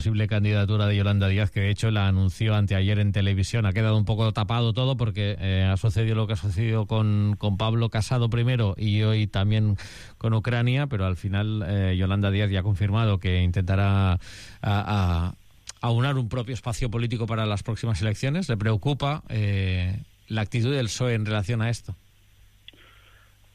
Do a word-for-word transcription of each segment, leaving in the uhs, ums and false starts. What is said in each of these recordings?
Posible candidatura de Yolanda Díaz, que de hecho la anunció anteayer en televisión. Ha quedado un poco tapado todo porque eh, ha sucedido lo que ha sucedido con, con Pablo Casado primero y hoy también con Ucrania, pero al final eh, Yolanda Díaz ya ha confirmado que intentará a, a, aunar un propio espacio político para las próximas elecciones. ¿Le preocupa eh, la actitud del P S O E en relación a esto?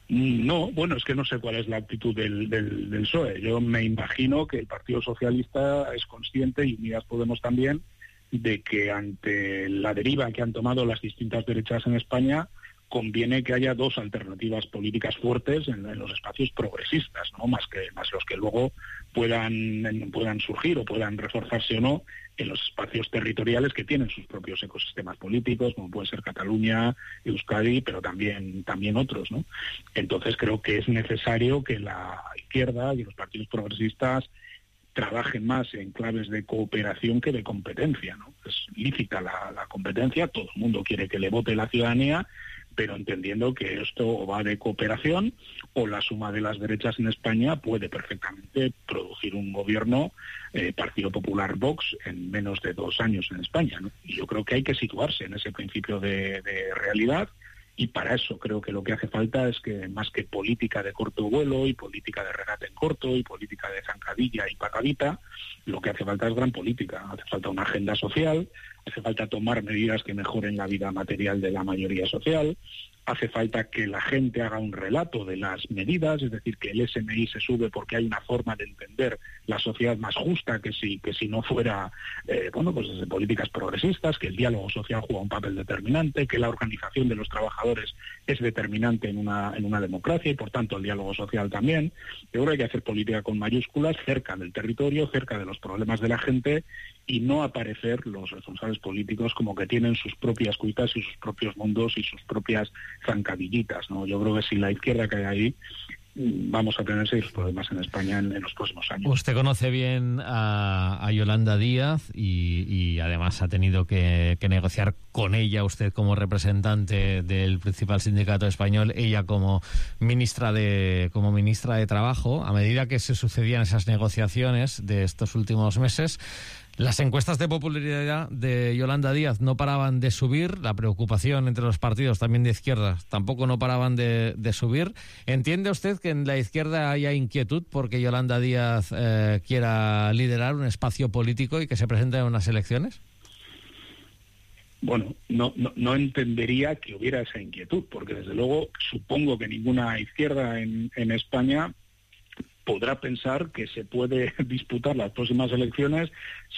No, bueno, es que no sé cuál es la actitud del, del, del P S O E. Yo me imagino que el Partido Socialista es consciente, y Unidas Podemos también, de que ante la deriva que han tomado las distintas derechas en España, conviene que haya dos alternativas políticas fuertes en, en los espacios progresistas, ¿no? Más que más los que luego puedan puedan surgir o puedan reforzarse o no en los espacios territoriales que tienen sus propios ecosistemas políticos, como puede ser Cataluña, Euskadi, pero también también otros, ¿no? Entonces creo que es necesario que la izquierda y los partidos progresistas trabajen más en claves de cooperación que de competencia, ¿no? Es lícita la, la competencia, todo el mundo quiere que le vote la ciudadanía, pero entendiendo que esto va de cooperación, o la suma de las derechas en España puede perfectamente producir un gobierno eh, Partido Popular Vox en menos de dos años en España, ¿no? Y yo creo que hay que situarse en ese principio de, de realidad, y para eso creo que lo que hace falta es que, más que política de corto vuelo y política de regate en corto y política de zancadilla y patadita, lo que hace falta es gran política. Hace falta una agenda social, hace falta tomar medidas que mejoren la vida material de la mayoría social, hace falta que la gente haga un relato de las medidas, es decir, que el S M I se sube porque hay una forma de entender la sociedad más justa que si que si no fuera, eh, bueno, pues desde políticas progresistas, que el diálogo social juega un papel determinante, que la organización de los trabajadores es determinante en una en una democracia y por tanto el diálogo social también. Yo creo que hay que hacer política con mayúsculas, cerca del territorio, cerca de los problemas de la gente, y no aparecer los responsables políticos como que tienen sus propias cuitas y sus propios mundos y sus propias zancadillitas, ¿no? Yo creo que si la izquierda cae ahí, vamos a tener serios problemas en España en, en los próximos años. Usted conoce bien a, a Yolanda Díaz y, y además ha tenido que, que negociar con ella, usted como representante del principal sindicato español, ella como ministra de como ministra de Trabajo. A medida que se sucedían esas negociaciones de estos últimos meses, las encuestas de popularidad de Yolanda Díaz no paraban de subir, la preocupación entre los partidos también de izquierdas tampoco no paraban de, de subir. ¿Entiende usted que en la izquierda haya inquietud porque Yolanda Díaz eh, quiera liderar un espacio político y que se presente en unas elecciones? Bueno, no, no, no entendería que hubiera esa inquietud, porque desde luego supongo que ninguna izquierda en, en España podrá pensar que se puede disputar las próximas elecciones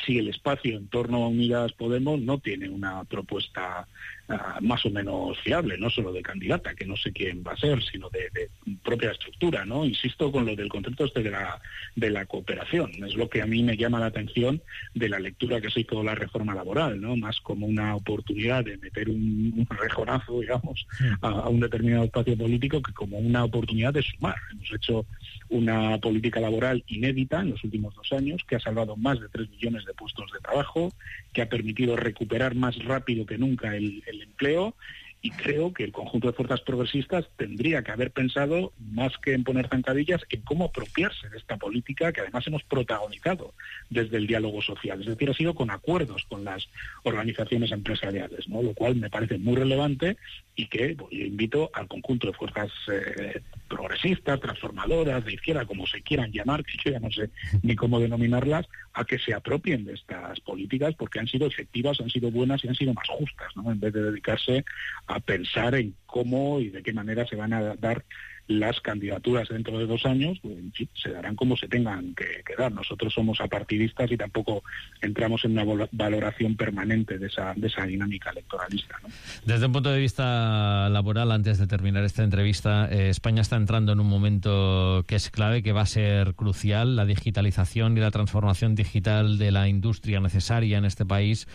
si el espacio en torno a Unidas Podemos no tiene una propuesta uh, más o menos fiable, no solo de candidata, que no sé quién va a ser, sino de, de propia estructura, ¿no? Insisto con lo del concepto este de la, de la cooperación. Es lo que a mí me llama la atención de la lectura que se hizo de la reforma laboral, ¿no? Más como una oportunidad de meter un, un rejonazo, digamos, a, a un determinado espacio político que como una oportunidad de sumar. Hemos hecho una política laboral inédita en los últimos dos años, que ha salvado más de tres millones de puestos de trabajo, que ha permitido recuperar más rápido que nunca el, el empleo, y creo que el conjunto de fuerzas progresistas tendría que haber pensado, más que en poner zancadillas, en cómo apropiarse de esta política que además hemos protagonizado desde el diálogo social. Es decir, ha sido con acuerdos con las organizaciones empresariales, ¿no? Lo cual me parece muy relevante y que pues, yo invito al conjunto de fuerzas eh, progresistas, transformadoras, de izquierda, como se quieran llamar, que yo ya no sé ni cómo denominarlas, a que se apropien de estas políticas porque han sido efectivas, han sido buenas y han sido más justas, ¿no? En vez de dedicarse a pensar en cómo y de qué manera se van a dar las candidaturas dentro de dos años, pues, se darán como se tengan que, que dar. Nosotros somos apartidistas y tampoco entramos en una valoración permanente de esa, de esa dinámica electoralista, ¿no? Desde un punto de vista laboral, antes de terminar esta entrevista, eh, España está entrando en un momento que es clave, que va a ser crucial. La digitalización y la transformación digital de la industria necesaria en este país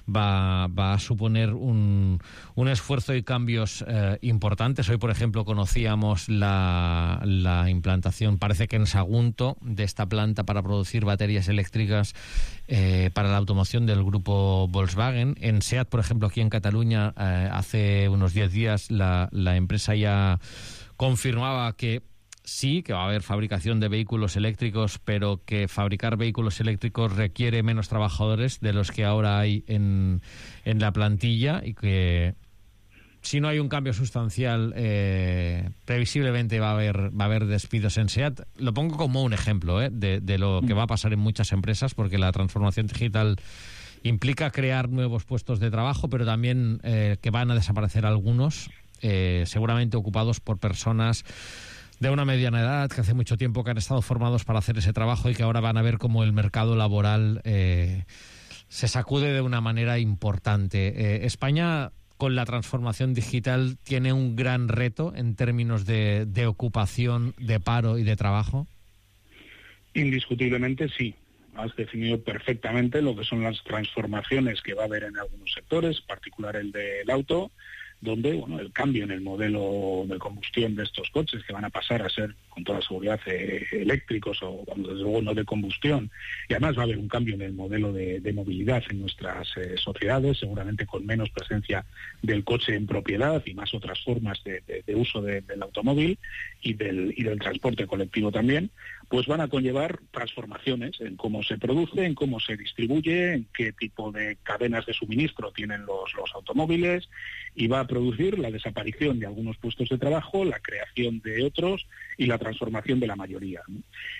va, va a suponer un, un esfuerzo y cambios eh, importantes. Hoy, por ejemplo, conocíamos la La, la implantación, parece que en Sagunto, de esta planta para producir baterías eléctricas eh, para la automoción del grupo Volkswagen. En SEAT, por ejemplo, aquí en Cataluña, eh, hace unos diez días la, la empresa ya confirmaba que sí, que va a haber fabricación de vehículos eléctricos, pero que fabricar vehículos eléctricos requiere menos trabajadores de los que ahora hay en, en la plantilla y que si no hay un cambio sustancial, eh, previsiblemente va a haber va a haber despidos en SEAT. Lo pongo como un ejemplo eh, de, de lo que va a pasar en muchas empresas, porque la transformación digital implica crear nuevos puestos de trabajo, pero también eh, que van a desaparecer algunos, eh, seguramente ocupados por personas de una mediana edad, que hace mucho tiempo que han estado formados para hacer ese trabajo y que ahora van a ver cómo el mercado laboral eh, se sacude de una manera importante. Eh, España, con la transformación digital, tiene un gran reto en términos de, de ocupación, de paro y de trabajo. Indiscutiblemente sí. Has definido perfectamente lo que son las transformaciones que va a haber en algunos sectores, en particular el del auto, donde bueno, el cambio en el modelo de combustión de estos coches, que van a pasar a ser con toda seguridad eh, eléctricos o bueno, desde luego no de combustión, y además va a haber un cambio en el modelo de, de movilidad en nuestras eh, sociedades, seguramente con menos presencia del coche en propiedad y más otras formas de, de, de uso de, del automóvil y del, y del transporte colectivo también, pues van a conllevar transformaciones en cómo se produce, en cómo se distribuye, en qué tipo de cadenas de suministro tienen los, los automóviles, y va a producir la desaparición de algunos puestos de trabajo, la creación de otros y la transformación de la mayoría, ¿no?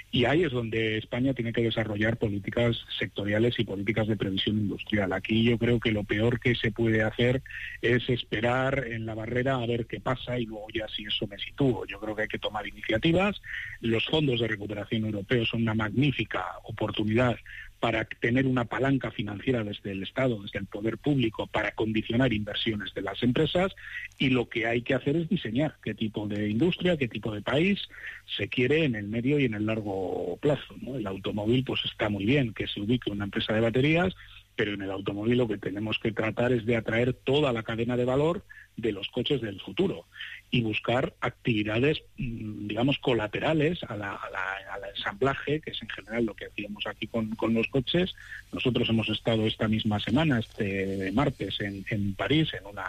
Y ahí es donde España tiene que desarrollar políticas sectoriales y políticas de previsión industrial. Aquí yo creo que lo peor que se puede hacer es esperar en la barrera a ver qué pasa y luego ya si eso me sitúo. Yo creo que hay que tomar iniciativas. Los fondos de recuperación europeos son una magnífica oportunidad para tener una palanca financiera desde el Estado, desde el poder público, para condicionar inversiones de las empresas, y lo que hay que hacer es diseñar qué tipo de industria, qué tipo de país se quiere en el medio y en el largo plazo, ¿no? El automóvil pues está muy bien que se ubique una empresa de baterías, pero en el automóvil lo que tenemos que tratar es de atraer toda la cadena de valor de los coches del futuro y buscar actividades, digamos, colaterales a la, a la, al ensamblaje, que es en general lo que hacíamos aquí con, con los coches. Nosotros hemos estado esta misma semana, este martes, en, en París, en una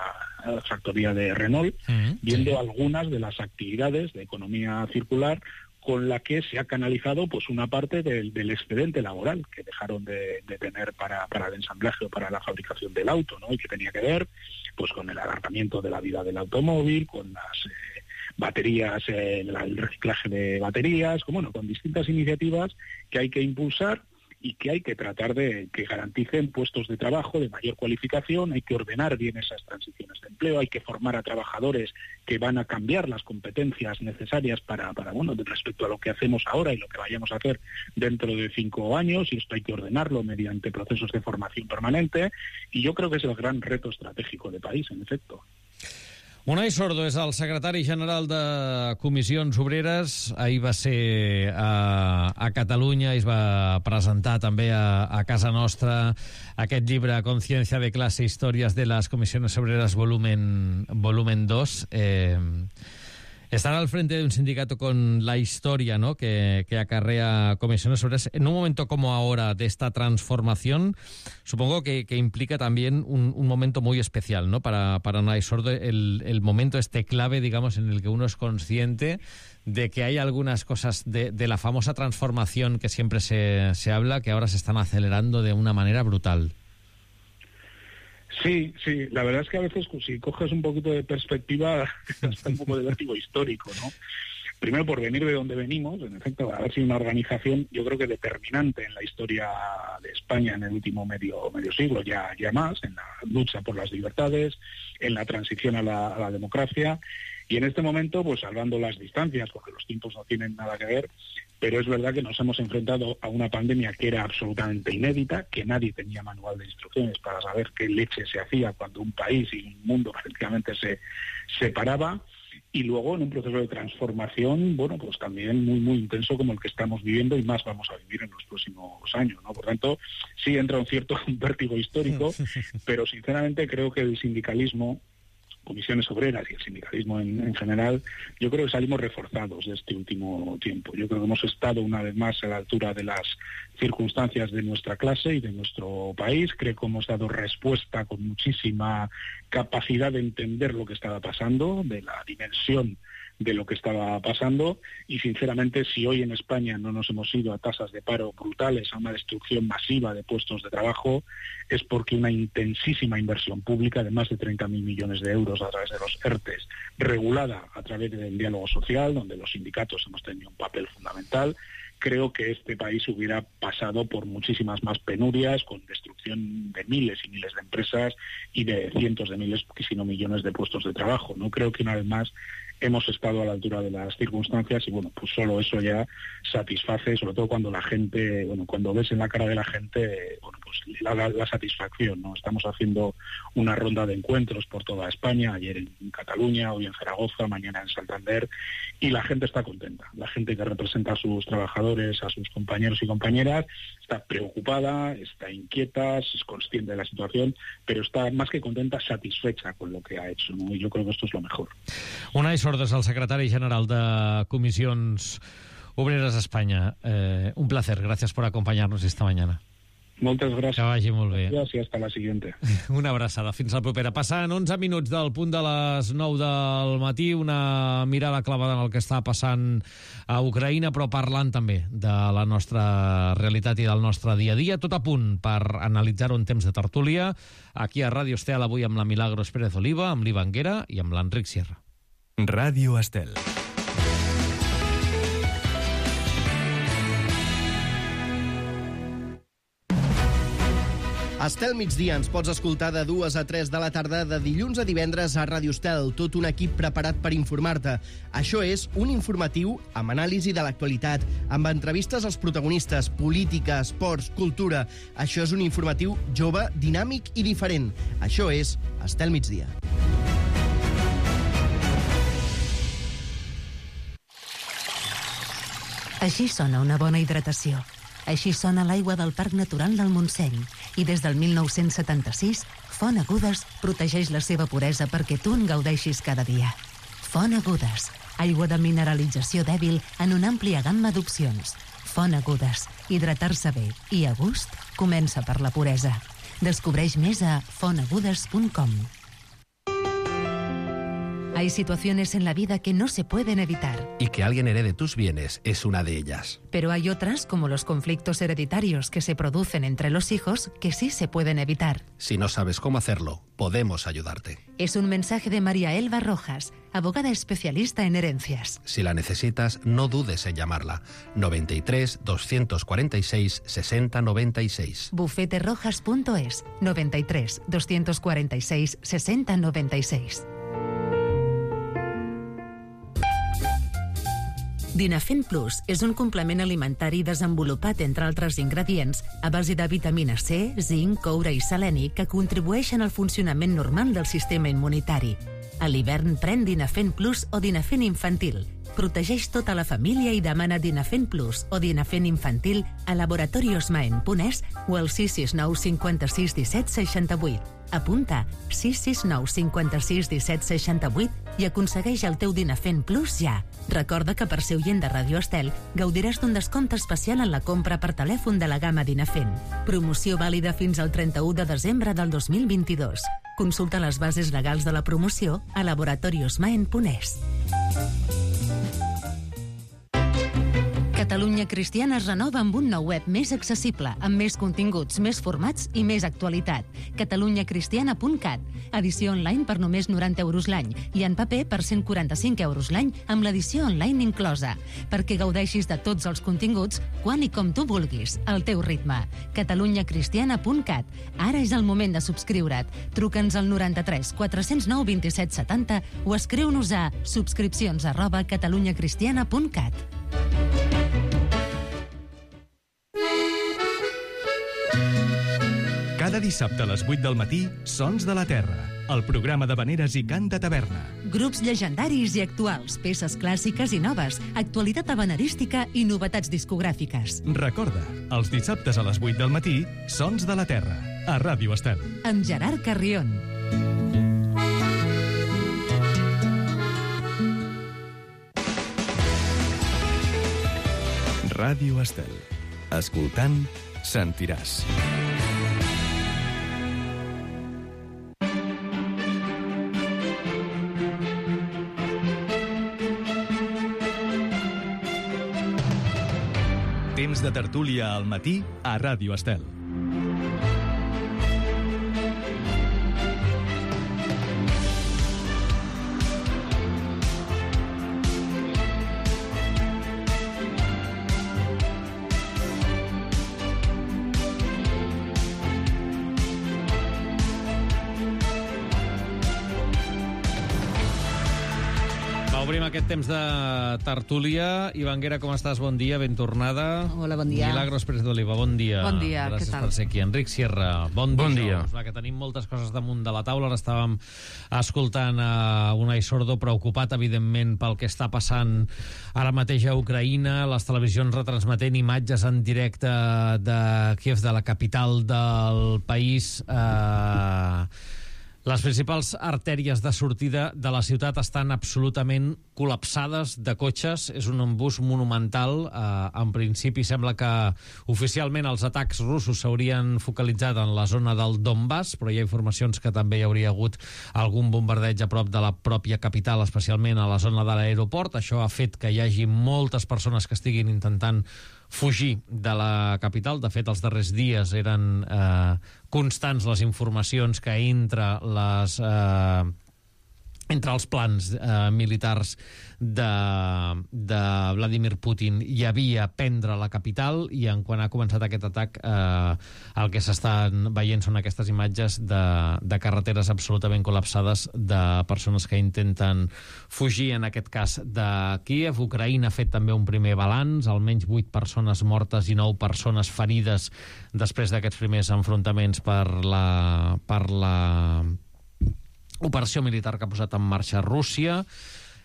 factoría de Renault, uh-huh. viendo sí. algunas de las actividades de economía circular con la que se ha canalizado pues una parte del, del excedente laboral que dejaron de, de tener para, para el ensamblaje o para la fabricación del auto, ¿no? Y que tenía que ver pues con el alargamiento de la vida del automóvil, con las eh, baterías, eh, el reciclaje de baterías, con, bueno, con distintas iniciativas que hay que impulsar y que hay que tratar de que garanticen puestos de trabajo de mayor cualificación. Hay que ordenar bien esas transiciones de empleo, hay que formar a trabajadores que van a cambiar las competencias necesarias para, para bueno, respecto a lo que hacemos ahora y lo que vayamos a hacer dentro de cinco años, y esto hay que ordenarlo mediante procesos de formación permanente, y yo creo que es el gran reto estratégico de país, en efecto. Unai Sordo és el secretari general de Comissions Obreres. Ahir va ser a, a Catalunya i es va presentar també a, a casa nostra aquest llibre Conciencia de clase, històries de les Comisiones Obreras volumen, volumen dos. Eh, Estar al frente de un sindicato con la historia, ¿no?, que, que acarrea Comisiones Obreras, en un momento como ahora de esta transformación, supongo que, que implica también un, un momento muy especial, ¿no?, para, para Unai Sordo, el, el momento este clave, digamos, en el que uno es consciente de que hay algunas cosas de, de la famosa transformación que siempre se, se habla, que ahora se están acelerando de una manera brutal. Sí, sí, la verdad es que a veces si coges un poquito de perspectiva está un poco de vértigo histórico, ¿no? Primero por venir de donde venimos, en efecto, haber sido una organización yo creo que determinante en la historia de España en el último medio medio siglo, ya, ya más, en la lucha por las libertades, en la transición a la, a la democracia, y en este momento, pues salvando las distancias, porque los tiempos no tienen nada que ver, pero es verdad que nos hemos enfrentado a una pandemia que era absolutamente inédita, que nadie tenía manual de instrucciones para saber qué leche se hacía cuando un país y un mundo prácticamente se separaba, y luego en un proceso de transformación, bueno, pues también muy, muy intenso como el que estamos viviendo y más vamos a vivir en los próximos años, ¿no? Por tanto, sí entra un cierto vértigo histórico, pero sinceramente creo que el sindicalismo, Comisiones Obreras y el sindicalismo en, en general, yo creo que salimos reforzados de este último tiempo. Yo creo que hemos estado una vez más a la altura de las circunstancias de nuestra clase y de nuestro país. Creo que hemos dado respuesta con muchísima capacidad de entender lo que estaba pasando, de la dimensión de lo que estaba pasando, y sinceramente si hoy en España no nos hemos ido a tasas de paro brutales, a una destrucción masiva de puestos de trabajo, es porque una intensísima inversión pública de más de treinta mil millones de euros a través de los ERTES, regulada a través del diálogo social, donde los sindicatos hemos tenido un papel fundamental, creo que este país hubiera pasado por muchísimas más penurias, con destrucción de miles y miles de empresas y de cientos de miles, si no millones de puestos de trabajo. No creo que una vez más hemos estado a la altura de las circunstancias y bueno, pues solo eso ya satisface, sobre todo cuando la gente, bueno, cuando ves en la cara de la gente, bueno, pues la, la, la satisfacción, ¿no? Estamos haciendo una ronda de encuentros por toda España, ayer en Cataluña, hoy en Zaragoza, mañana en Santander, y la gente está contenta. La gente que representa a sus trabajadores, a sus compañeros y compañeras, está preocupada, está inquieta, es consciente de la situación, pero está más que contenta, satisfecha con lo que ha hecho, ¿no? Y yo creo que esto es lo mejor. Unai Sordes, el secretari general de Comissions Obreres a Espanya. Eh, un placer, gracias por acompañarnos esta mañana. Moltes gràcies. Que vagi molt bé. Gràcies i hasta la siguiente. Una abraçada. Fins la propera. Passant onze minuts del punt de les nou del matí, una mirada clavada en el que està passant a Ucraïna, però parlant també de la nostra realitat i del nostre dia a dia. Tot a punt per analitzar-ho en temps de tertúlia. Aquí a Ràdio Estel, avui amb la Milagros Pérez Oliva, amb l'Iva Anguera i amb l'Enric Sierra. Ràdio Estel. Estel migdia ens pots escoltar de dues a tres de la tarda de dilluns a divendres a Ràdio Estel, tot un equip preparat per informar-te. Això és un informatiu amb anàlisi de l'actualitat, amb entrevistes als protagonistes, política, esports, cultura. Això és un informatiu jove, dinàmic i diferent. Això és Estel migdia. Així sona una bona hidratació. Així sona l'aigua del Parc Natural del Montseny. I des del mil nou-cents setanta-sis, Font Agudes protegeix la seva puresa perquè tu en gaudeixis cada dia. Font Agudes, aigua de mineralització dèbil en una àmplia gamma d'opcions. Font Agudes, hidratar-se bé i a gust comença per la puresa. Descobreix més a font agudes punt com. Hay situaciones en la vida que no se pueden evitar. Y que alguien herede tus bienes es una de ellas. Pero hay otras, como los conflictos hereditarios que se producen entre los hijos, que sí se pueden evitar. Si no sabes cómo hacerlo, podemos ayudarte. Es un mensaje de María Elba Rojas, abogada especialista en herencias. Si la necesitas, no dudes en llamarla. noventa y tres, doscientos cuarenta y seis, sesenta noventa y seis. bufete rojas punto es, noventa y tres, doscientos cuarenta y seis, sesenta noventa y seis. Dinafen Plus és un complement alimentari desenvolupat, entre altres ingredients, a base de vitamina C, zinc, coure i seleni que contribueixen al funcionament normal del sistema immunitari. A l'hivern pren Dinafen Plus o Dinafen Infantil. Protegeix tota la família i demana Dinafen Plus o Dinafen Infantil a laboratoriosmaen punt es o al sis sis nou cinquanta-sis disset seixanta-vuit. Apunta sis sis nou cinquanta-sis disset seixanta-vuit i aconsegueix el teu Dinafen Plus ja. Recorda que per ser oient de Ràdio Estel gaudiràs d'un descompte especial en la compra per telèfon de la gamma Dinafen. Promoció vàlida fins al trenta-u de desembre del dos mil vint-i-dos. Consulta les bases legals de la promoció a laboratoriosmaen punt es. Catalunya Cristiana es renova amb un nou web més accessible, amb més continguts, més formats i més actualitat. catalunya cristiana punt cat. Edició online per només noranta euros l'any i en paper per cent quaranta-cinc euros l'any amb l'edició online inclosa. Perquè gaudeixis de tots els continguts quan i com tu vulguis, al teu ritme. catalunya cristiana punt cat. Ara és el moment de subscriure't. Truca'ns al noranta-tres quatre-cents nou vint-i-set setanta o escriu-nos a subscripcions arroba catalunya cristiana punt cat. Cada dissabte a les vuit del matí, Sons de la Terra, el programa d'havaneres i cant de taverna. Grups llegendaris i actuals, peces clàssiques i noves, actualitat havanerística i novetats discogràfiques. Recorda, els dissabtes a les vuit del matí, Sons de la Terra, a Ràdio Estel. Amb Gerard Carrion. Ràdio Estel. Escoltant, sentiràs. Temps de tertúlia al matí a Ràdio Estel. Obrim aquest temps de tertúlia. Ivanguera, com estàs? Bon dia, ben tornada. Hola, bon dia. Milagros Pérez d'Oliva, bon dia. Bon dia, Gràcies què tal? per ser aquí. Enric Sierra, bon, Bon dia. dia. Va, que tenim moltes coses damunt de la taula. Ara estàvem escoltant a Unai Sordo, preocupat, evidentment, pel que està passant ara mateix a Ucraïna. Les televisions retransmetent imatges en directe de Kiev, de la capital del país. Eh... Les principals artèries de sortida de la ciutat estan absolutament col·lapsades de cotxes. És un embús monumental. Eh, en principi sembla que oficialment els atacs russos s'haurien focalitzat en la zona del Donbass, però hi ha informacions que també hi hauria hagut algun bombardeig a prop de la pròpia capital, especialment a la zona de l'aeroport. Això ha fet que hi hagi moltes persones que estiguin intentant fugir de la capital. De fet, els darrers dies eren eh, constants les informacions que entre les... Eh, entre els plans eh, militars de, de Vladimir Putin hi havia prendre la capital, i en quan ha començat aquest atac eh, el que s'estan veient són aquestes imatges de, de carreteres absolutament col·lapsades de persones que intenten fugir, en aquest cas de Kíev. Ucraïna ha fet també un primer balanç, almenys vuit persones mortes i nou persones ferides després d'aquests primers enfrontaments per la... per la operació militar que ha posat en marxa Rússia.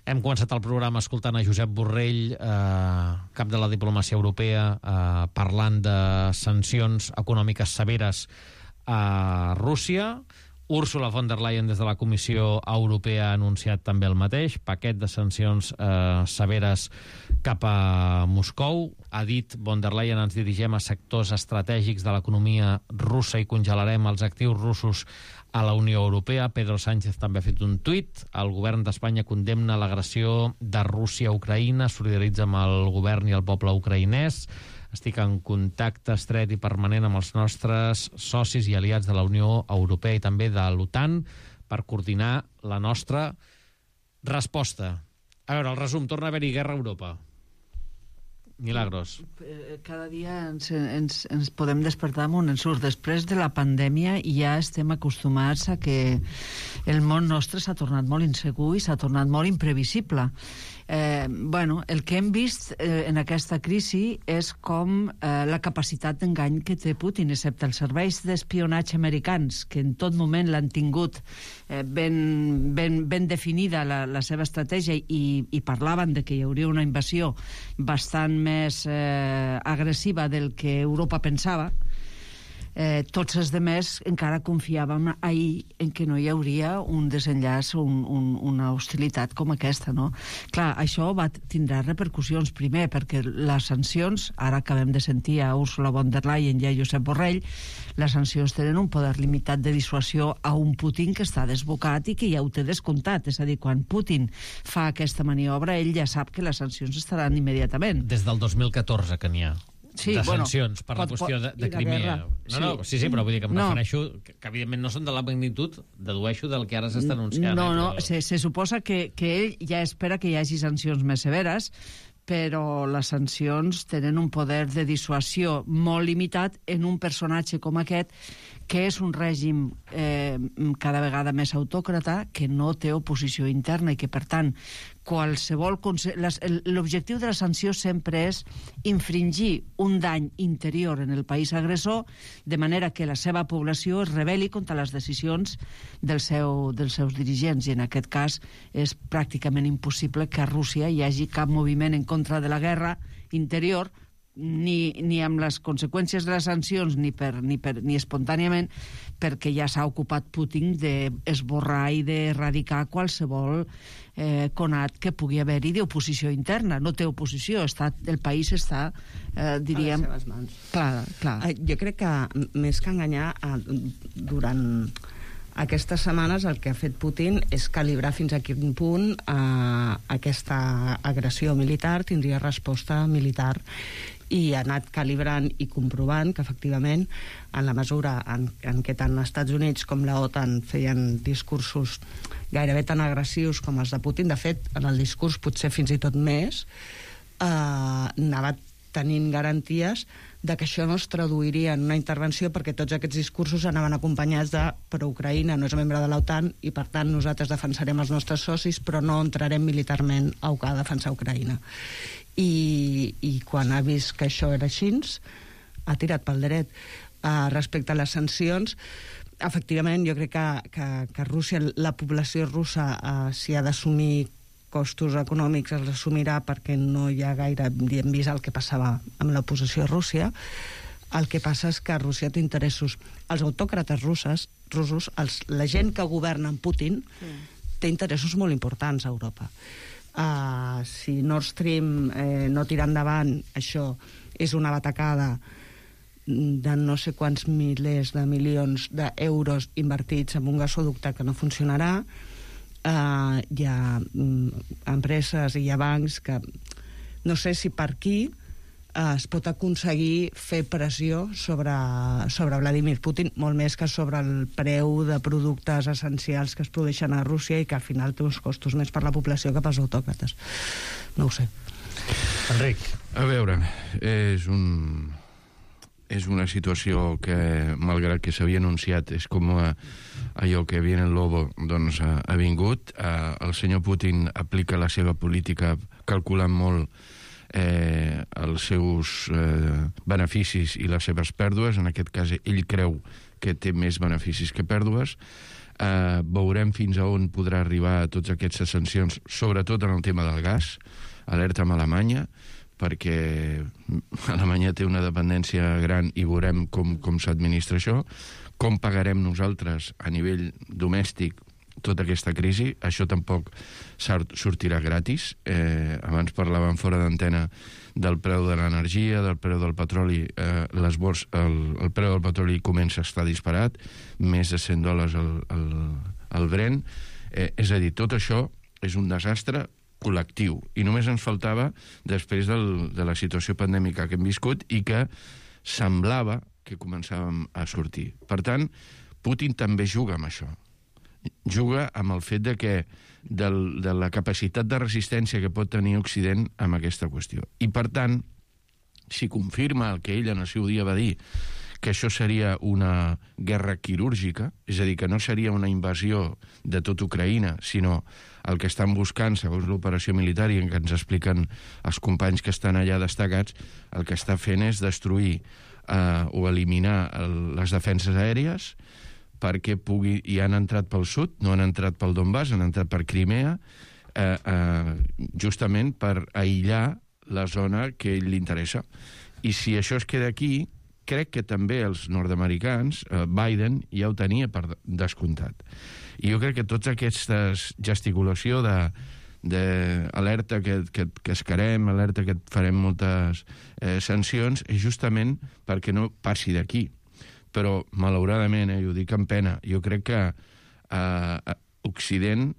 Hem començat el programa escoltant a Josep Borrell, eh, cap de la diplomàcia europea, eh, parlant de sancions econòmiques severes a Rússia. Ursula von der Leyen, des de la Comissió Europea, ha anunciat també el mateix, paquet de sancions eh, severes cap a Moscou. Ha dit von der Leyen: ens dirigem a sectors estratègics de l'economia russa i congelarem els actius russos a la Unió Europea. Pedro Sánchez també ha fet un tuit. El govern d'Espanya condemna l'agressió de Rússia a Ucraïna, solidaritza amb el govern i el poble ucraïnès. Estic en contacte estret i permanent amb els nostres socis i aliats de la Unió Europea i també de l'OTAN per coordinar la nostra resposta. A veure, el resum: torna a haver-hi guerra a Europa. Milagros. Cada dia ens, ens, ens podem despertar amb un ensurt. Després de la pandèmia ja estem acostumats a que el món nostre s'ha tornat molt insegur i s'ha tornat molt imprevisible. Eh, bueno, el que hem vist eh, en aquesta crisi és com eh, la capacitat d'engany que té Putin, excepte els serveis d'espionatge americans, que en tot moment l'han tingut eh, ben, ben, ben definida la, la seva estratègia, i, i parlaven de que hi hauria una invasió bastant més eh, agressiva del que Europa pensava. Eh, tots els demés encara confiàvem ahir en que no hi hauria un desenllaç, un, un, una hostilitat com aquesta, no? Clar, això va tindrà repercussions, primer, perquè les sancions, ara acabem de sentir a Ursula von der Leyen i a Josep Borrell, les sancions tenen un poder limitat de dissuasió a un Putin que està desbocat i que ja ho té descomptat. És a dir, quan Putin fa aquesta maniobra, ell ja sap que les sancions estaran immediatament. Des del dos mil catorze que n'hi ha. Sí, de bueno, sancions per la pot, qüestió de, de pot, Crimea. No, sí. no, sí, sí, però vull dir que em no. refereixo que, que evidentment no són de la magnitud, dedueixo del que ara s'està anunciant. No, eh, no, però... se, se suposa que, que ell ja espera que hi hagi sancions més severes, però les sancions tenen un poder de dissuasió molt limitat en un personatge com aquest, que és un règim eh, cada vegada més autòcrata, que no té oposició interna i que, per tant, qualsevol... L'objectiu de la sanció sempre és infringir un dany interior en el país agressor, de manera que la seva població es rebel·li contra les decisions del seu, dels seus dirigents, i en aquest cas és pràcticament impossible que a Rússia hi hagi cap moviment en contra de la guerra interior, ni, ni amb les conseqüències de les sancions ni, per, ni, per, ni espontàniament, perquè ja s'ha ocupat Putin d'esborrar i d'erradicar qualsevol eh, conat que pugui haver-hi d'oposició interna. No té oposició, està, el país està, eh, diríem... A les seves mans. Clar, clar. Jo crec que, més que enganyar, durant aquestes setmanes el que ha fet Putin és calibrar fins a quin punt eh, aquesta agressió militar tindria resposta militar. i ha anat calibrant i comprovant que efectivament en la mesura en, en què tant els Estats Units com la OTAN feien discursos gairebé tan agressius com els de Putin, de fet en el discurs potser fins i tot més, eh, anava tenint garanties de que això no es traduiria en una intervenció, perquè tots aquests discursos anaven acompanyats de però Ucraïna no és membre de l'OTAN i per tant nosaltres defensarem els nostres socis però no entrarem militarment a defensar Ucraïna. I, i quan ha vist que això era així ha tirat pel dret. Uh, respecte a les sancions, efectivament jo crec que, que, que Rússia, la població russa uh, si ha d'assumir costos econòmics els assumirà perquè no hi ha gaire, hem vist el que passava amb l'oposició a Rússia. El que passa és que Rússia té interessos. Els autòcrates russes, russos, els, la gent que governa amb Putin, sí. té interessos molt importants a Europa. Uh, si Nord Stream eh, no tira endavant, això és una batacada de no sé quants milers de milions d'euros invertits en un gasoducte que no funcionarà. Uh, hi ha um, empreses i hi ha bancs que no sé si per aquí uh, es pot aconseguir fer pressió sobre, sobre Vladimir Putin, molt més que sobre el preu de productes essencials que es produeixen a Rússia i que al final té uns costos més per la població que pels autòcrates. No ho sé. Enric. A veure, és un... és una situació que, malgrat que s'havia anunciat, és com a, allò que viene el lobo, doncs ha, ha vingut. Eh, el senyor Putin aplica la seva política calculant molt eh, els seus eh, beneficis i les seves pèrdues. En aquest cas, ell creu que té més beneficis que pèrdues. Eh, veurem fins a on podrà arribar a tots aquestes sancions, sobretot en el tema del gas. Alerta amb Alemanya, perquè Alemanya té una dependència gran i veurem com, com s'administra això, com pagarem nosaltres a nivell domèstic tota aquesta crisi. Això tampoc sortirà gratis. Eh, abans parlàvem fora d'antena del preu de l'energia, del preu del petroli. Eh, les bors, el, el preu del petroli comença a estar disparat, més de cent dòlars al, al, al Brent. Eh, és a dir, tot això és un desastre col·lectiu, i només ens faltava després del, de la situació pandèmica que hem viscut i que semblava que començàvem a sortir. Per tant, Putin també juga amb això. Juga amb el fet de que del, de la capacitat de resistència que pot tenir Occident amb aquesta qüestió. I per tant, si confirma el que ell en el seu dia va dir, que això seria una guerra quirúrgica, és a dir, que no seria una invasió de tot Ucraïna, sinó el que estan buscant, segons l'operació militar i en què ens expliquen els companys que estan allà destacats, el que està fent és destruir eh, o eliminar el, les defenses aèries perquè pugui, i han entrat pel sud, no han entrat pel Donbass, han entrat per Crimea, eh, eh, justament per aïllar la zona que ell li interessa. I si això es queda aquí, crec que també els nord-americans, eh, Biden ja ho tenia per descomptat. I jo crec que tota aquesta gesticulació de, de alerta que, que, que escarem, alerta que farem moltes eh, sancions, és justament perquè no passi d'aquí. Però, malauradament, eh, jo dic amb pena, jo crec que eh, Occident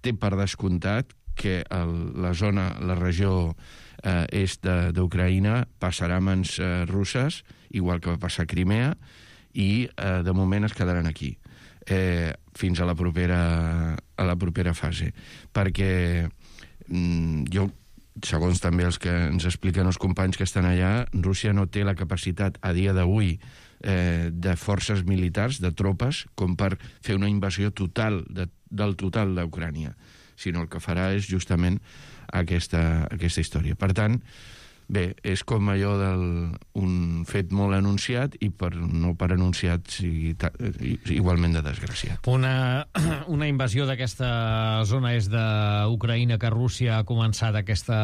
té per descomptat que el, la zona, la regió eh, est d'Ucraïna passarà a mans eh, russes, igual que va passar a Crimea, i eh, de moment es quedaran aquí, eh, fins a la propera, a la propera fase. Perquè mm, jo, segons també els que ens expliquen els companys que estan allà, Rússia no té la capacitat a dia d'avui eh, de forces militars, de tropes, com per fer una invasió total, de, del total d'Ucrània, sinó el que farà és justament aquesta, aquesta història. Per tant, bé, és com allò d'un fet molt anunciat i per, no per anunciat sigui ta, igualment de desgraciat. Una, una invasió d'aquesta zona és d'Ucraïna que Rússia ha començat aquesta,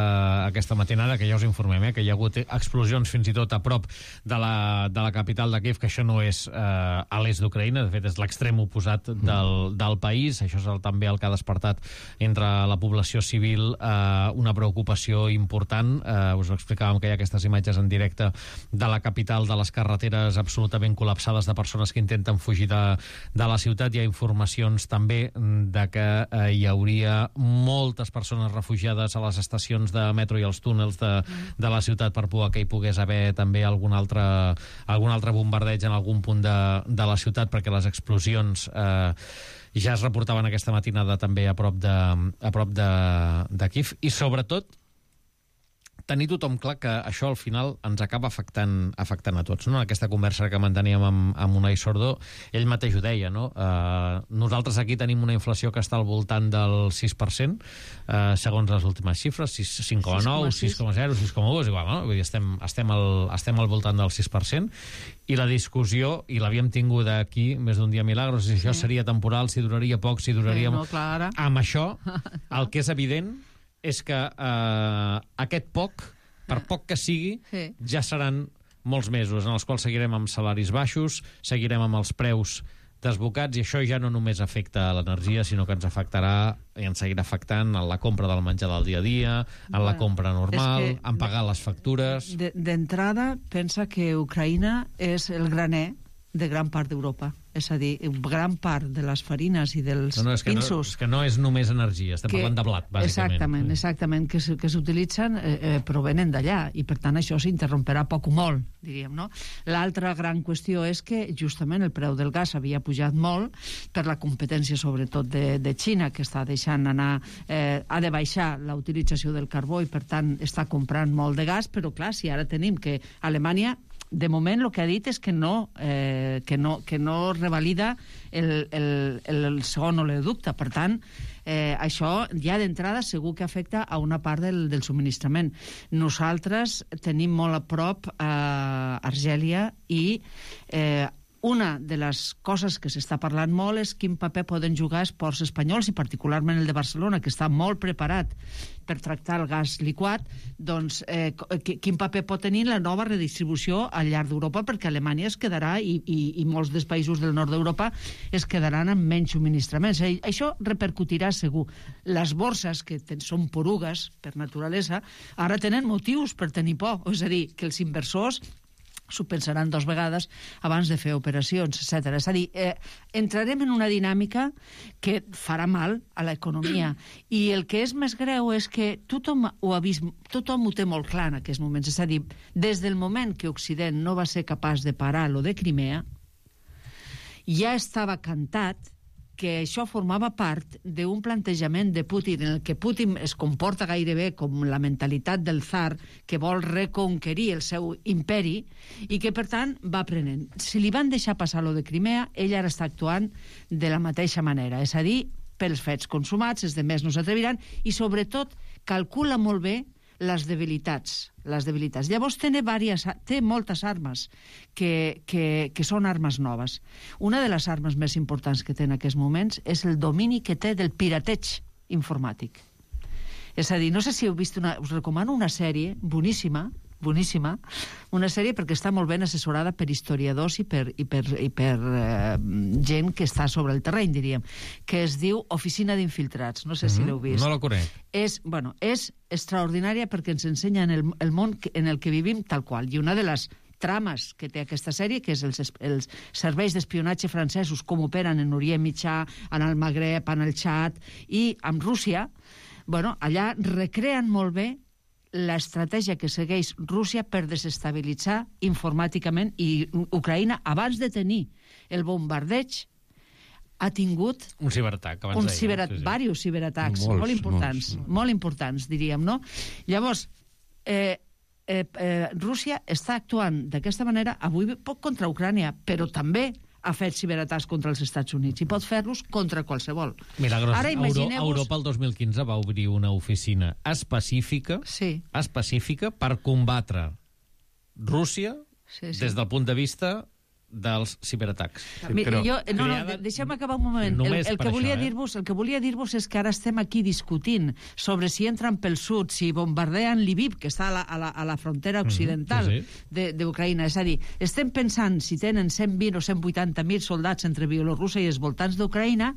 aquesta matinada, que ja us informem, eh, que hi ha hagut explosions fins i tot a prop de la, de la capital de Kiev, que això no és eh, a l'est d'Ucraïna, de fet és l'extrem oposat del, del país. Això és el, també el que ha despertat entre la població civil eh, una preocupació important. Eh, us ho explico explicàvem que hi ha aquestes imatges en directe de la capital, de les carreteres absolutament col·lapsades de persones que intenten fugir de, de la ciutat. Hi ha informacions també de que eh, hi hauria moltes persones refugiades a les estacions de metro i als túnels de, de la ciutat per por que hi pogués haver també algun altre, algun altre bombardeig en algun punt de, de la ciutat, perquè les explosions eh, ja es reportaven aquesta matinada també a prop de, a prop de, de Kíev. I sobretot tenir tothom clar que això al final ens acaba afectant, afectant a tots, no? Aquesta conversa que manteníem amb, amb Unai Sordó, ell mateix ho deia, no? Uh, nosaltres aquí tenim una inflació que està al voltant del sis per cent, uh, segons les últimes xifres, cinc coma nou, sis coma zero, sis coma u, és igual, no? Vull dir, estem, estem, al, estem al voltant del sis per cent, i la discussió, i l'havíem tingut aquí més d'un dia Milagros, si això seria temporal, si duraria poc, si duraria... Sí, no, clar. Amb això, el que és evident és que eh, aquest poc, per poc que sigui, sí. ja seran molts mesos en els quals seguirem amb salaris baixos, seguirem amb els preus desbocats, i això ja no només afecta a l'energia, sinó que ens afectarà i ens seguirà afectant en la compra del menjar del dia a dia, en bueno, la compra normal, en pagar les factures... D'entrada, pensa que Ucraïna és el graner de gran part d'Europa. És a dir, gran part de les farines i dels no, no, és que pinsos... No, és que no és només energia, estem que, parlant de blat, bàsicament. Exactament, exactament, que, que s'utilitzen eh, eh, provenen d'allà, i per tant això s'interromperà poc o molt, diríem, no? L'altra gran qüestió és que justament el preu del gas havia pujat molt per la competència sobretot de, de Xina, que està deixant anar, eh, ha de baixar la utilització del carbó i per tant està comprant molt de gas, però clar, si ara tenim que Alemanya de moment el que ha dit és que no, eh, que no, que no revalida el, el, el segon oleoducte. Per tant, eh, això ja d'entrada segur que afecta a una part del, del subministrament. Nosaltres tenim molt a prop a eh, Argèlia i eh, una de les coses que s'està parlant molt és quin paper poden jugar els ports espanyols, i particularment el de Barcelona, que està molt preparat per tractar el gas liquat, doncs eh, quin paper pot tenir la nova redistribució al llarg d'Europa, perquè Alemanya es quedarà, i, i, i molts dels països del nord d'Europa es quedaran amb menys subministraments. Això repercutirà segur. Les borses, que ten, són porugues per naturalesa, ara tenen motius per tenir por. És a dir, que els inversors s'ho pensaran dos vegades abans de fer operacions, etcètera. És a dir, eh, entrarem en una dinàmica que farà mal a l'economia. I el que és més greu és que tothom ho ha vist, tothom ho té molt clar en aquests moments. És a dir, des del moment que Occident no va ser capaç de parar lo de Crimea, ja estava cantat que això formava part d'un plantejament de Putin en el que Putin es comporta gairebé com la mentalitat del tsar que vol reconquerir el seu imperi i que, per tant, va aprenent. Si li van deixar passar lo de Crimea, ell ara està actuant de la mateixa manera, és a dir, pels fets consumats, els demés no s'atreviran, i sobretot calcula molt bé les debilitats. Les debilitats. Llavors té, diverses, té moltes armes que, que, que són armes noves. Una de les armes més importants que té en aquests moments és el domini que té del pirateig informàtic. És a dir, no sé si heu vist una... Us recomano una sèrie boníssima, boníssima, una sèrie perquè està molt ben assessorada per historiadors i per, i per, i per eh, gent que està sobre el terreny, diríem, que es diu Oficina d'Infiltrats. No sé mm-hmm. si l'heu vist. No la conec. És, bueno, és extraordinària perquè ens ensenya el, el món en el que vivim tal qual. I una de les trames que té aquesta sèrie, que és els, els serveis d'espionatge francesos, com operen en Orient Mitjà, en el Magreb, en el Txad i amb Rússia, bueno, allà recreen molt bé l'estratègia que segueix Rússia per desestabilitzar informàticament, i Ucraïna, abans de tenir el bombardeig, ha tingut... Un ciberatac, abans un deia. Ciberat... Sí, sí. Diversos ciberatacs, Molts, molt importants, molts. molt importants, diríem, no? Llavors, eh, eh, eh, Rússia està actuant d'aquesta manera, avui poc contra Ucrània, però també ha fet ciberatacs contra els Estats Units i pot fer-los contra qualsevol. Milagros, Ara imagineu-vos... Europa el dos mil quinze va obrir una oficina específica, sí. específica per combatre Rússia sí, sí. des del punt de vista dels ciberatacs. Sí, però... jo, no, no, deixa'm acabar un moment. El, el, que volia això, dir-vos, el que volia dir-vos és que ara estem aquí discutint sobre si entren pel sud, si bombardean Lviv, que està a la, a la, a la frontera occidental mm, sí, sí. d'Ucraïna. És a dir, estem pensant si tenen cent vint o cent vuitanta mil soldats entre Bielorússia i els voltants d'Ucraïna,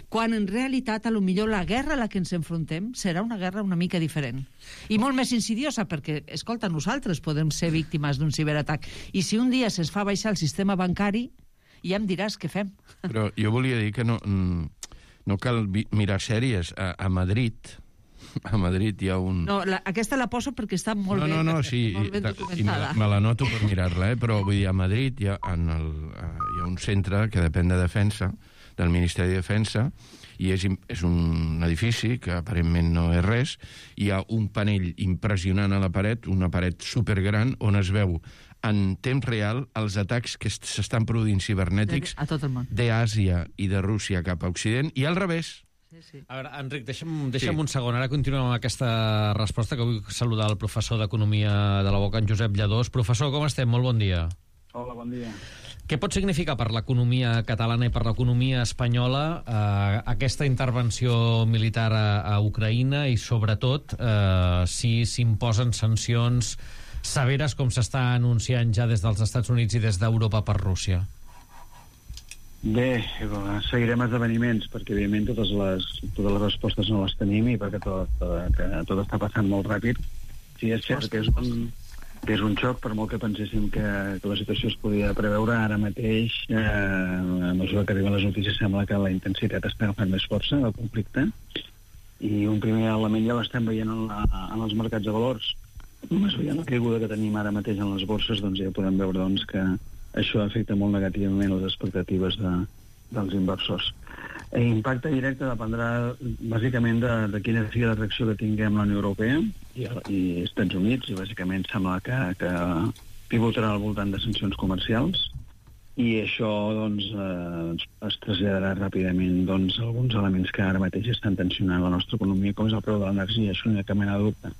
quan en realitat, a lo millor, la guerra a la que ens enfrontem serà una guerra una mica diferent. I molt més insidiosa, perquè, escolta, nosaltres podem ser víctimes d'un ciberatac. I si un dia se'ns fa baixar el sistema bancari, ja em diràs què fem. Però jo volia dir que no, no cal mirar sèries. A, a Madrid, a Madrid hi ha un... No, la, aquesta la poso perquè està molt no, bé, no, no, sí, molt ben documentada. I me, me la noto per mirar-la, eh? Però vull dir, a Madrid hi ha, en el, hi ha un centre que depèn de Defensa, del Ministeri de Defensa, i és, és un edifici que aparentment no és res. Hi ha un panell impressionant a la paret, una paret supergran, on es veu en temps real els atacs que s'estan produint cibernètics a tot el món, d'Àsia i de Rússia cap a Occident, i al revés. Sí, sí. A veure, Enric, deixa'm, deixa'm sí. un segon. Ara continuem amb aquesta resposta, que vull saludar el professor d'Economia de la Boca, en Josep Lladós. Professor, com estem? Molt bon dia. Hola, bon dia. Què pot significar per l'economia catalana i per l'economia espanyola eh, aquesta intervenció militar a, a Ucraïna i, sobretot, eh, si s'imposen sancions severes com s'està anunciant ja des dels Estats Units i des d'Europa per Rússia? Bé, seguirem esdeveniments, perquè evidentment totes les, totes les respostes no les tenim i perquè tot, tot, tot està passant molt ràpid. Sí, és cert que és un... que és un xoc, per molt que penséssim que, que la situació es podia preveure, ara mateix, eh, a mesura que arriben les notícies, sembla que la intensitat està agafant més força del conflicte, i un primer element ja l'estem veient en, la, en els mercats de valors. Només veient la caiguda que tenim ara mateix en les borses, doncs ja podem veure doncs, que això afecta molt negativament les expectatives de, dels inversors. L'impacte directe dependrà bàsicament de, de quina sigui la reacció que tinguem la Unió Europea i, i Estats Units, i bàsicament sembla que, que pivotarà al voltant de sancions comercials, i això doncs, eh, es traslladarà ràpidament doncs, alguns elements que ara mateix estan tensionant la nostra economia, com és el preu de l'energia. Això no hi ha cap mena de dubte.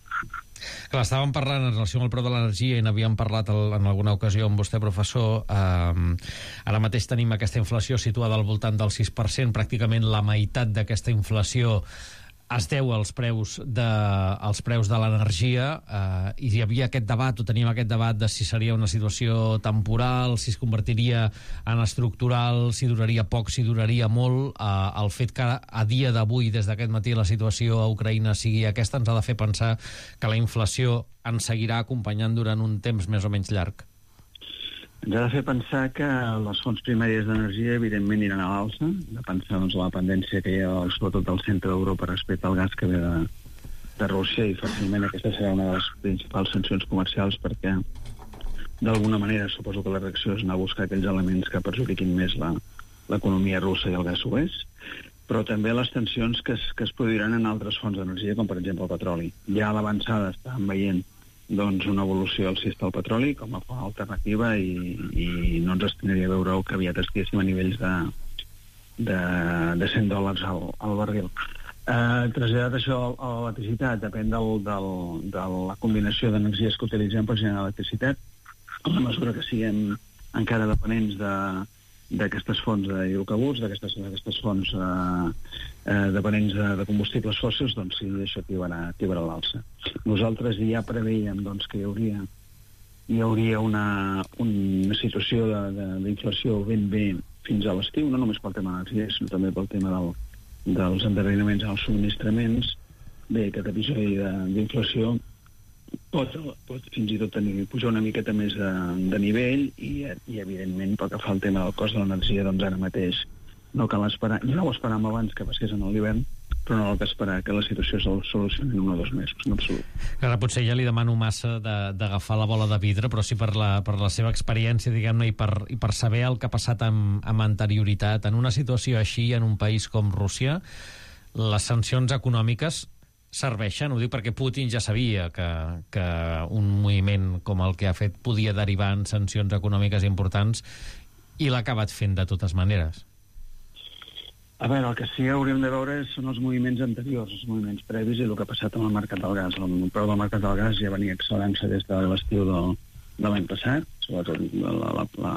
Clar, estàvem parlant en relació amb el preu de l'energia i n'havíem parlat el, en alguna ocasió amb vostè, professor. Eh, ara mateix tenim aquesta inflació situada al voltant del sis per cent, pràcticament la meitat d'aquesta inflació es deu als preus de, als preus de l'energia, eh, i hi havia aquest debat, o teníem aquest debat de si seria una situació temporal, si es convertiria en estructural, si duraria poc, si duraria molt. Eh, el fet que a dia d'avui, des d'aquest matí, la situació a Ucraïna sigui aquesta, ens ha de fer pensar que la inflació ens seguirà acompanyant durant un temps més o menys llarg. Ens ha de fer pensar que les fonts primàries d'energia evidentment aniran a l'alça, de pensar doncs, la dependència que hi ha sobretot al centre d'Europa respecte al gas que ve de, de Rússia, i fàcilment aquesta serà una de les principals sancions comercials, perquè d'alguna manera suposo que la reacció és anar a buscar aquells elements que perjudiquin més la, l'economia russa i el gas ho és, però també les tensions que es, que es produiran en altres fonts d'energia, com per exemple el petroli. Ja a l'avançada estàvem veient doncs, una evolució alcista del petroli com a font alternativa, i, i no ens estinaria veure que aviat estiguéssim a nivells de, de, de cent dòlars al, al barril. Eh, traslladat això a l'electricitat, depèn del, del, de la combinació d'energies que utilitzem per generar electricitat. A la mesura que siguem encara dependents de d'aquestes fonts d'hidrocarburs, d'aquestes, d'aquestes fonts eh, eh, dependents de, de combustibles fòssils, doncs sí, això tibarà, tibarà l'alça. Nosaltres ja preveiem doncs, que hi hauria, hi hauria una, una situació d'inflació ben bé fins a l'estiu, no només pel tema de l'energia, sinó també pel tema del, dels endarreriments en els subministraments. Bé, aquest episodi d'inflació pot, pot fins i tot tenir, pujar una miqueta més de, de nivell, i, i evidentment pel que fa al tema del cost de l'energia, doncs ara mateix no cal esperar, ja no ho esperàvem abans que passés en l'hivern, però no cal esperar que la situació es solucioni en un o dos mesos, en absolut. Ara potser ja li demano massa d'agafar la bola de vidre, però sí per la, per la seva experiència, diguem-ne, i, per, i per saber el que ha passat amb, amb anterioritat. En una situació així, en un país com Rússia, les sancions econòmiques serveixen, ho dic perquè Putin ja sabia que, que un moviment com el que ha fet podia derivar en sancions econòmiques importants, i l'ha acabat fent de totes maneres. A veure, el que sí que hauríem de veure són els moviments anteriors, els moviments previs i el que ha passat amb el mercat del gas. El preu del mercat del gas ja venia accelerant-se des de l'estiu de, de l'any passat, sobretot la, la, la,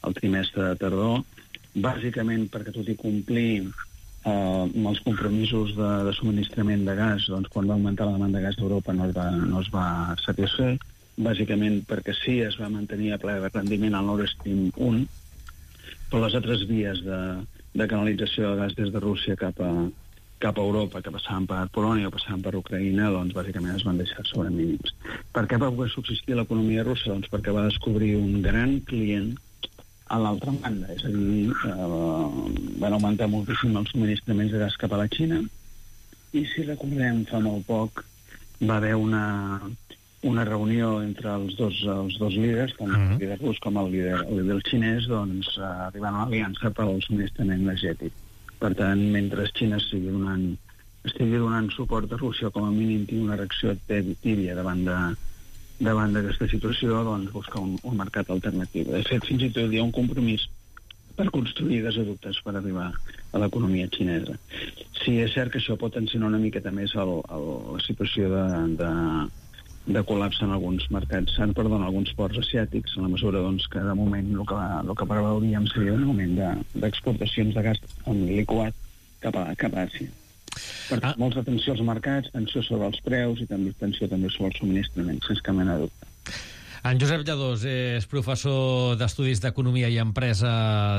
el trimestre de tardor, bàsicament perquè tot i complir eh, amb els compromisos de, de subministrament de gas, doncs quan va augmentar la demanda de gas d'Europa no es va, no es va satisfer, bàsicament perquè sí es va mantenir a ple de rendiment el Nord Stream un, però les altres vies de, de canalització de gas des de Rússia cap a, cap a Europa, que passaven per Polònia o passaven per Ucraïna, doncs bàsicament es van deixar sobre mínims. Per què va poder subsistir l'economia russa? Doncs perquè va descobrir un gran client a l'altra banda, és a dir, eh, van augmentar moltíssim els subministraments de gas cap a la Xina, i si recordem, fa molt poc va haver una, una reunió entre els dos, els dos líders, tant el líder rus com el líder, el líder xinès, doncs eh, arribant a l'aliança per al subministrament energètic. Per tant, mentre Xina estigui donant, estigui donant suport a Rússia, com a mínim tingui una reacció tèbia davant de davant d'aquesta situació, doncs buscar un, un mercat alternatiu. De fet, fins i tot hi ha un compromís per construir gasoductes per arribar a l'economia xinesa. Sí, és cert que això pot tensionar una miqueta més el, el, la situació de, de, de col·lapse en alguns mercats, en, perdó, en alguns ports asiàtics, en la mesura doncs, que de moment el que, el que preveuríem seria un augment d'exportacions de, de gas en liquat cap a, cap a Àsia. Per tant, ah. molts atenció als mercats, tensió sobre els preus i també tensió també sobre els subministraments, sense cap mena de dubte. En Josep Lladós és professor d'Estudis d'Economia i Empresa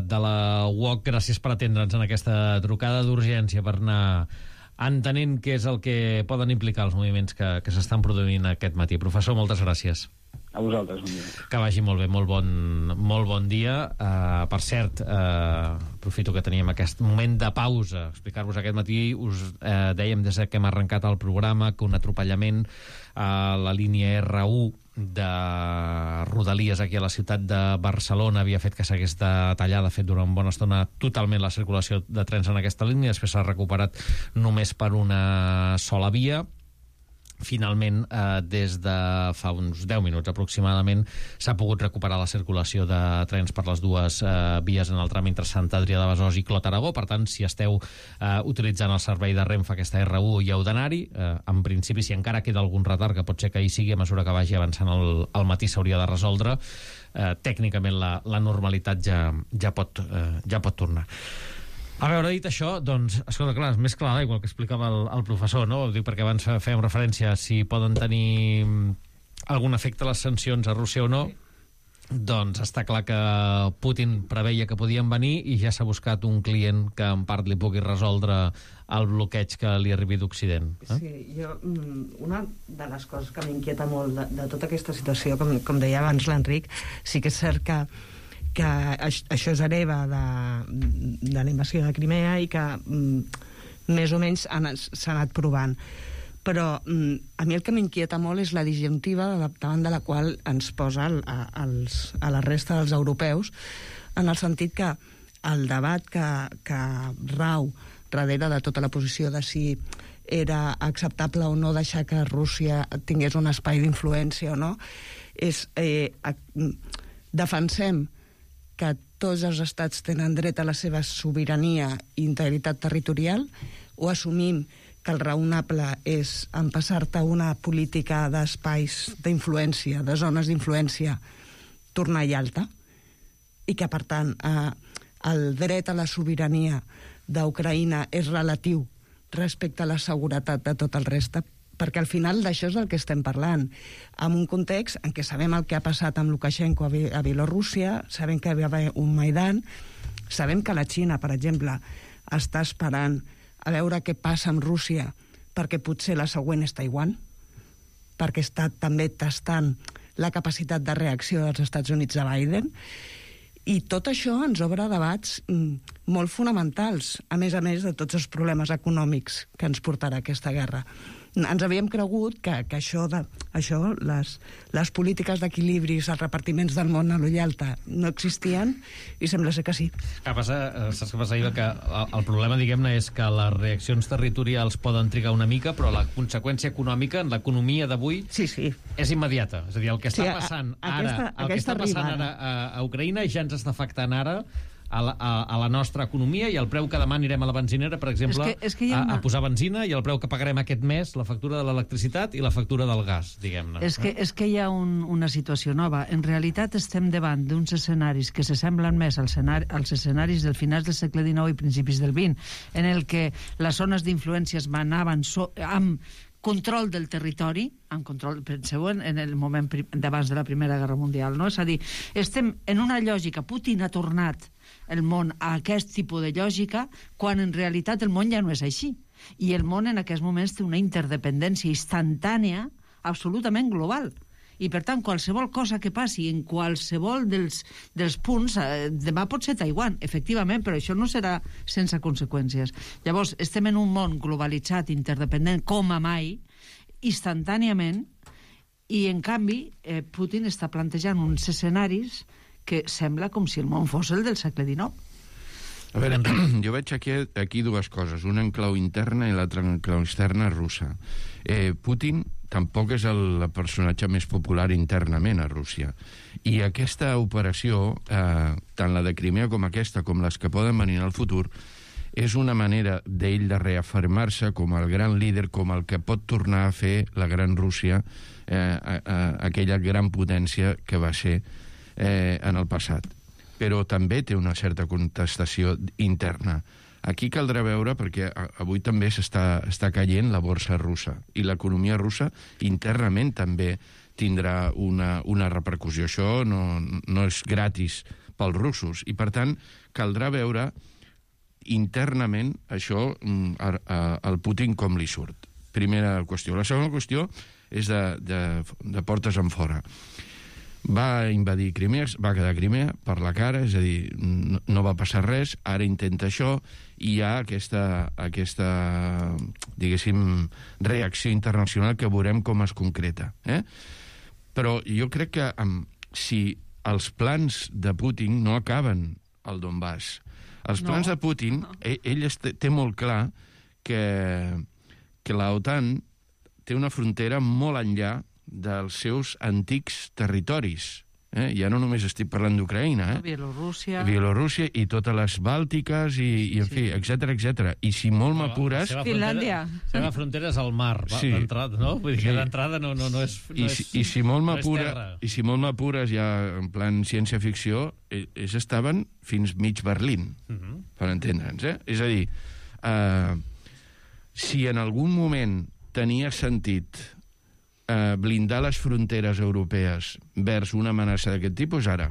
de la U O C. Gràcies per atendre'ns en aquesta trucada d'urgència per anar entenent què és el que poden implicar els moviments que, que s'estan produint aquest matí. Professor, moltes gràcies. A vosaltres, bon dia. Que vagi molt bé, molt bon, molt bon dia. Uh, per cert, uh, aprofito que teníem aquest moment de pausa, explicar-vos aquest matí, us uh, dèiem des que hem arrencat el programa que un atropellament a la línia R u de Rodalies aquí a la ciutat de Barcelona havia fet que s'hagués de tallar, de fet, durant bona estona totalment la circulació de trens en aquesta línia, després s'ha recuperat només per una sola via. Finalment, eh, des de fa uns deu minuts aproximadament, s'ha pogut recuperar la circulació de trens per les dues eh, vies en el tram entre Sant Adrià de Besòs i Clot Aragó. Per tant, si esteu eh, utilitzant el servei de Renfe, aquesta R u, hi heu d'anar-hi. Eh, en principi, si encara queda algun retard, que pot ser que hi sigui, a mesura que vagi avançant el, el matí s'hauria de resoldre. Eh, tècnicament, la, la normalitat ja, ja, pot, eh, ja pot tornar. A veure, dit això, doncs, escolta, clar, és més clar igual que explicava el, el professor, no? Dic, perquè abans fèiem referència a si poden tenir algun efecte les sancions a Rússia o no. Doncs està clar que Putin preveia que podien venir i ja s'ha buscat un client que en part li pugui resoldre el bloqueig que li arribi d'Occident. Eh? Sí, jo, una de les coses que m'inquieta molt de, de tota aquesta situació, com, com deia abans l'Enric, sí que és cert que que això és hereva de, de la invasió de Crimea i que mm, més o menys s'ha anat provant. Però mm, a mi el que m'inquieta molt és la disjuntiva davant de la qual ens posa el, a, els, a la resta dels europeus, en el sentit que el debat que, que rau darrere de tota la posició de si era acceptable o no deixar que Rússia tingués un espai d'influència o no, és eh, a, defensem que tots els estats tenen dret a la seva sobirania i integritat territorial, o assumim que el raonable és empassar-te una política d'espais d'influència, de zones d'influència, tornar i alta, i que, per tant, eh, el dret a la sobirania d'Ucraïna és relatiu respecte a la seguretat de tot el reste, perquè al final d'això és del que estem parlant, en un context en què sabem el que ha passat amb Lukashenko a Bielorússia, sabem que hi va haver un Maidan, sabem que la Xina, per exemple, està esperant a veure què passa amb Rússia, perquè potser la següent és Taiwan, perquè està també tastant la capacitat de reacció dels Estats Units de Biden, i tot això ens obre debats mm, molt fonamentals, a més a més de tots els problemes econòmics que ens portarà aquesta guerra. Ens havíem cregut que, que això, de, això les, les polítiques d'equilibris, els repartiments del món a l'ull alta no existien, i sembla ser que sí. Que passa, saps què passa, Iva? Que el problema, diguem-ne, és que les reaccions territorials poden trigar una mica, però la conseqüència econòmica en l'economia d'avui sí, sí. és immediata. És a dir, el que està sí, passant a, ara, aquesta, el que està passant ara arribada. a, a Ucraïna ja ens està afectant ara a la, a, a la nostra economia i el preu que demà anirem a la benzinera, per exemple, és que, és que una... a, a posar benzina, i el preu que pagarem aquest mes, la factura de l'electricitat i la factura del gas, diguem-ne. És que, és que hi ha un, una situació nova. En realitat estem davant d'uns escenaris que s'assemblen més als, escenari, als escenaris del finals del segle dinou i principis del vint, en el que les zones d'influències manaven so, amb control del territori, en control, penseu en, en el moment d'abans de la Primera Guerra Mundial, no? És a dir, estem en una lògica, Putin ha tornat el món a aquest tipus de lògica, quan en realitat el món ja no és així. I el món en aquests moments té una interdependència instantània absolutament global. I, per tant, qualsevol cosa que passi en qualsevol dels, dels punts, eh, demà pot ser Taiwan, efectivament, però això no serà sense conseqüències. Llavors, estem en un món globalitzat, interdependent, com a mai, instantàniament, i, en canvi, eh, Putin està plantejant uns escenaris que sembla com si el món fos el del segle dinou. A veure, jo veig aquí, aquí dues coses, una en clau interna i l'altra en clau externa russa. Eh, Putin tampoc és el personatge més popular internament a Rússia. I aquesta operació, eh, tant la de Crimea com aquesta, com les que poden venir al futur, és una manera d'ell de reafirmar-se com el gran líder, com el que pot tornar a fer la gran Rússia, eh, a, a, aquella gran potència que va ser eh, en el passat. Però també té una certa contestació interna. Aquí caldrà veure, perquè avui també s'està està caient la borsa russa, i l'economia russa internament també tindrà una, una repercussió. Això no, no és gratis pels russos, i per tant caldrà veure internament això, a, a, al Putin com li surt. Primera qüestió. La segona qüestió és de, de, de portes en fora. Va invadir Crimea, va quedar Crimea per la cara, és a dir, no, no va passar res, ara intenta això, i hi ha aquesta, aquesta, diguéssim, reacció internacional que veurem com es concreta. Eh? Però jo crec que um, si els plans de Putin no acaben al Donbass, els plans no. de Putin, ell, ell té, té molt clar que, que la OTAN té una frontera molt enllà dels seus antics territoris. Eh? Ja no només estic parlant d'Ucraïna, eh? Bielorússia... Bielorússia i totes les Bàltiques i, i en sí. fi, etcètera, etcètera. I si molt m'apures... Finlàndia. La seva frontera és el mar, sí. d'entrada, no? Vull dir sí. que d'entrada no, no, no és... No I, és i si molt no m'apura, i si molt m'apures ja en plan ciència-ficció, ells estaven fins mig Berlín, uh -huh. per entendre'ns, eh? És a dir, eh, si en algun moment tenia sentit Uh, blindar les fronteres europees vers una amenaça d'aquest tipus, ara.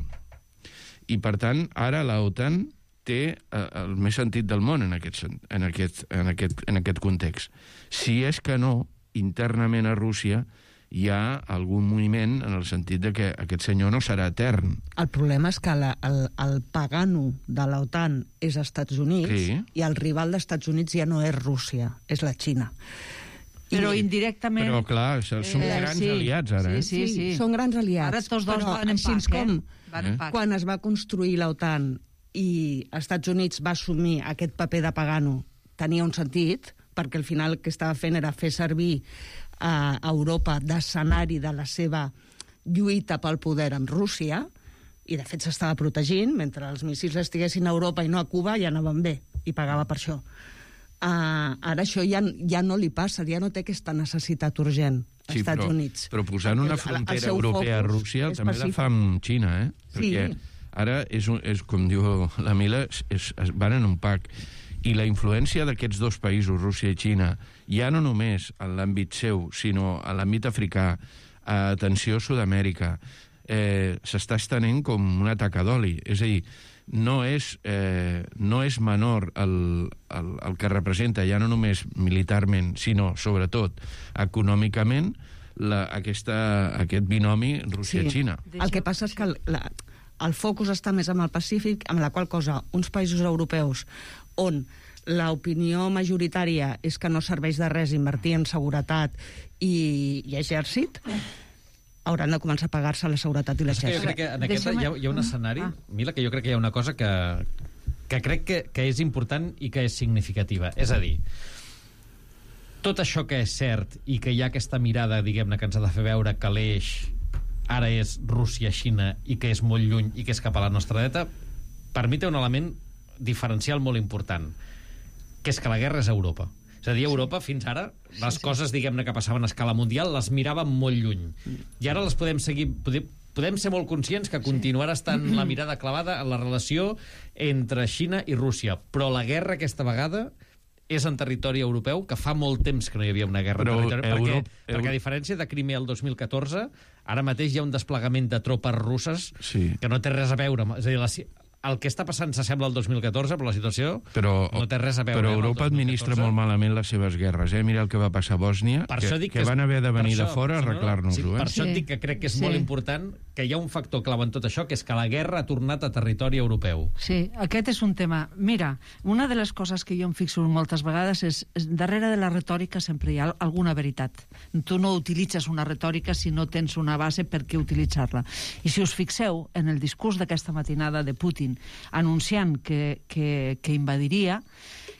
I, per tant, ara la OTAN té uh, el més sentit del món en aquest, en, aquest, en, aquest, en aquest context. Si és que no, internament a Rússia hi ha algun moviment en el sentit de que aquest senyor no serà etern. El problema és que la, el, el pagano de la OTAN és Estats Units, sí. i el rival dels Estats Units ja no és Rússia, és la Xina. Però indirectament... Però, clar, són eh, grans sí, aliats, ara. Sí, sí, sí, sí. Són grans aliats. Ara tots dos però, van en pac, com, eh? Van en pac. Quan es va construir la OTAN i els Estats Units va assumir aquest paper de pagano, tenia un sentit, perquè al final el que estava fent era fer servir a Europa d'escenari de la seva lluita pel poder amb Rússia, i de fet s'estava protegint, mentre els míssils estiguessin a Europa i no a Cuba, ja anaven bé, i pagava per això. Uh, ara això ja, ja no li passa, ja no té aquesta necessitat urgent als sí, Estats però, Units. Però posant una frontera europea a Rússia també la fa amb Xina, eh? Perquè sí. ara, és, un, és com diu la Mila, és, es van en un pack. I la influència d'aquests dos països, Rússia i Xina, ja no només en l'àmbit seu, sinó a l'àmbit africà, a atenció a Sud-amèrica, eh, s'està estenent com una taca d'oli. És a dir, no és, eh, no és menor el, el, el que representa, ja no només militarment, sinó, sobretot, econòmicament, la, aquesta, aquest binomi Rússia-Xina. Sí. El que passa és que el, la, el focus està més amb el Pacífic, amb la qual cosa uns països europeus on l'opinió majoritària és que no serveix de res invertir en seguretat i, i exèrcit, hauran de començar a pagar-se la seguretat i l'exèrcit. Jo crec que en aquest hi ha, hi ha un escenari, ah. Mila, que jo crec que hi ha una cosa que, que crec que, que és important i que és significativa. És a dir, tot això que és cert i que hi ha aquesta mirada, diguem-ne, que ens ha de fer veure que l'eix ara és Rússia-Xina i que és molt lluny i que és cap a la nostra dreta, per mi té un element diferencial molt important, que és que la guerra és a Europa. És a dir, a Europa, fins ara, les sí, coses, diguem-ne, que passaven a escala mundial, les miràvem molt lluny. I ara les podem seguir... Podem, podem ser molt conscients que continuarà estant la mirada clavada en la relació entre Xina i Rússia. Però la guerra, aquesta vegada, és en territori europeu, que fa molt temps que no hi havia una guerra Però en territori... Europa, perquè, perquè, a diferència de Crimea el dos mil catorze, ara mateix hi ha un desplegament de tropes russes sí. que no té res a veure. És a dir, la, el que està passant s'assembla al dos mil catorze, però la situació però, no té res a veure. Però Europa administra molt malament les seves guerres. Eh? Mira el que va passar a Bòsnia, per que, que, que van haver de venir això, de fora a arreglar-nos-ho. Sí, eh? per això et dic que crec que és sí. molt important que hi ha un factor clau en tot això, que és que la guerra ha tornat a territori europeu. Sí, aquest és un tema. Mira, una de les coses que jo em fixo moltes vegades és, és darrere de la retòrica sempre hi ha alguna veritat. Tu no utilitzes una retòrica si no tens una base per què utilitzar-la. I si us fixeu en el discurs d'aquesta matinada de Putin anunciant que, que, que invadiria,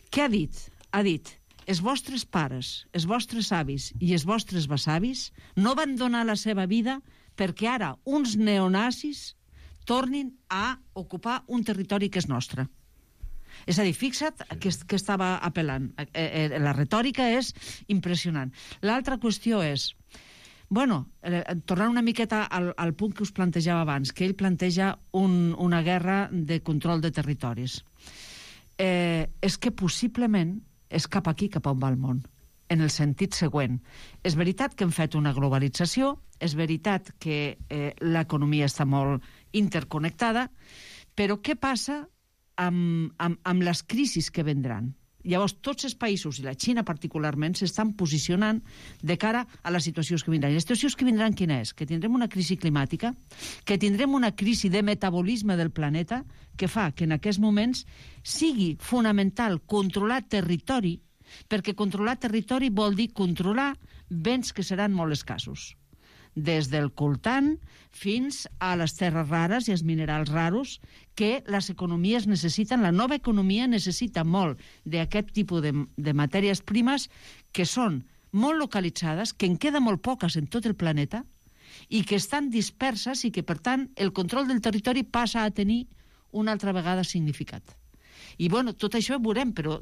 què ha dit? Ha dit, els vostres pares, els vostres avis i els vostres besavis no van donar la seva vida perquè ara uns neonazis tornin a ocupar un territori que és nostre. És a dir, fixa't que, que estava apel·lant. Eh, eh, la retòrica és impressionant. L'altra qüestió és, bueno, eh, tornant una miqueta al, al punt que us plantejava abans, que ell planteja un, una guerra de control de territoris. Eh, és que possiblement és cap aquí, cap on va el món, en el sentit següent. És veritat que hem fet una globalització, és veritat que eh, l'economia està molt interconnectada, però què passa amb, amb, amb les crisis que vendran? Llavors, tots els països, i la Xina particularment, s'estan posicionant de cara a les situacions que vindran. I les situacions que vindran quina és? Que tindrem una crisi climàtica, que tindrem una crisi de metabolisme del planeta, que fa que en aquests moments sigui fonamental controlar territori, perquè controlar territori vol dir controlar béns que seran molt escassos. Des del coltan fins a les terres rares i els minerals raros que les economies necessiten, la nova economia necessita molt d'aquest tipus de, de matèries primes que són molt localitzades, que en queda molt poques en tot el planeta i que estan disperses i que, per tant, el control del territori passa a tenir una altra vegada significat. I, bueno, tot això ho veurem, però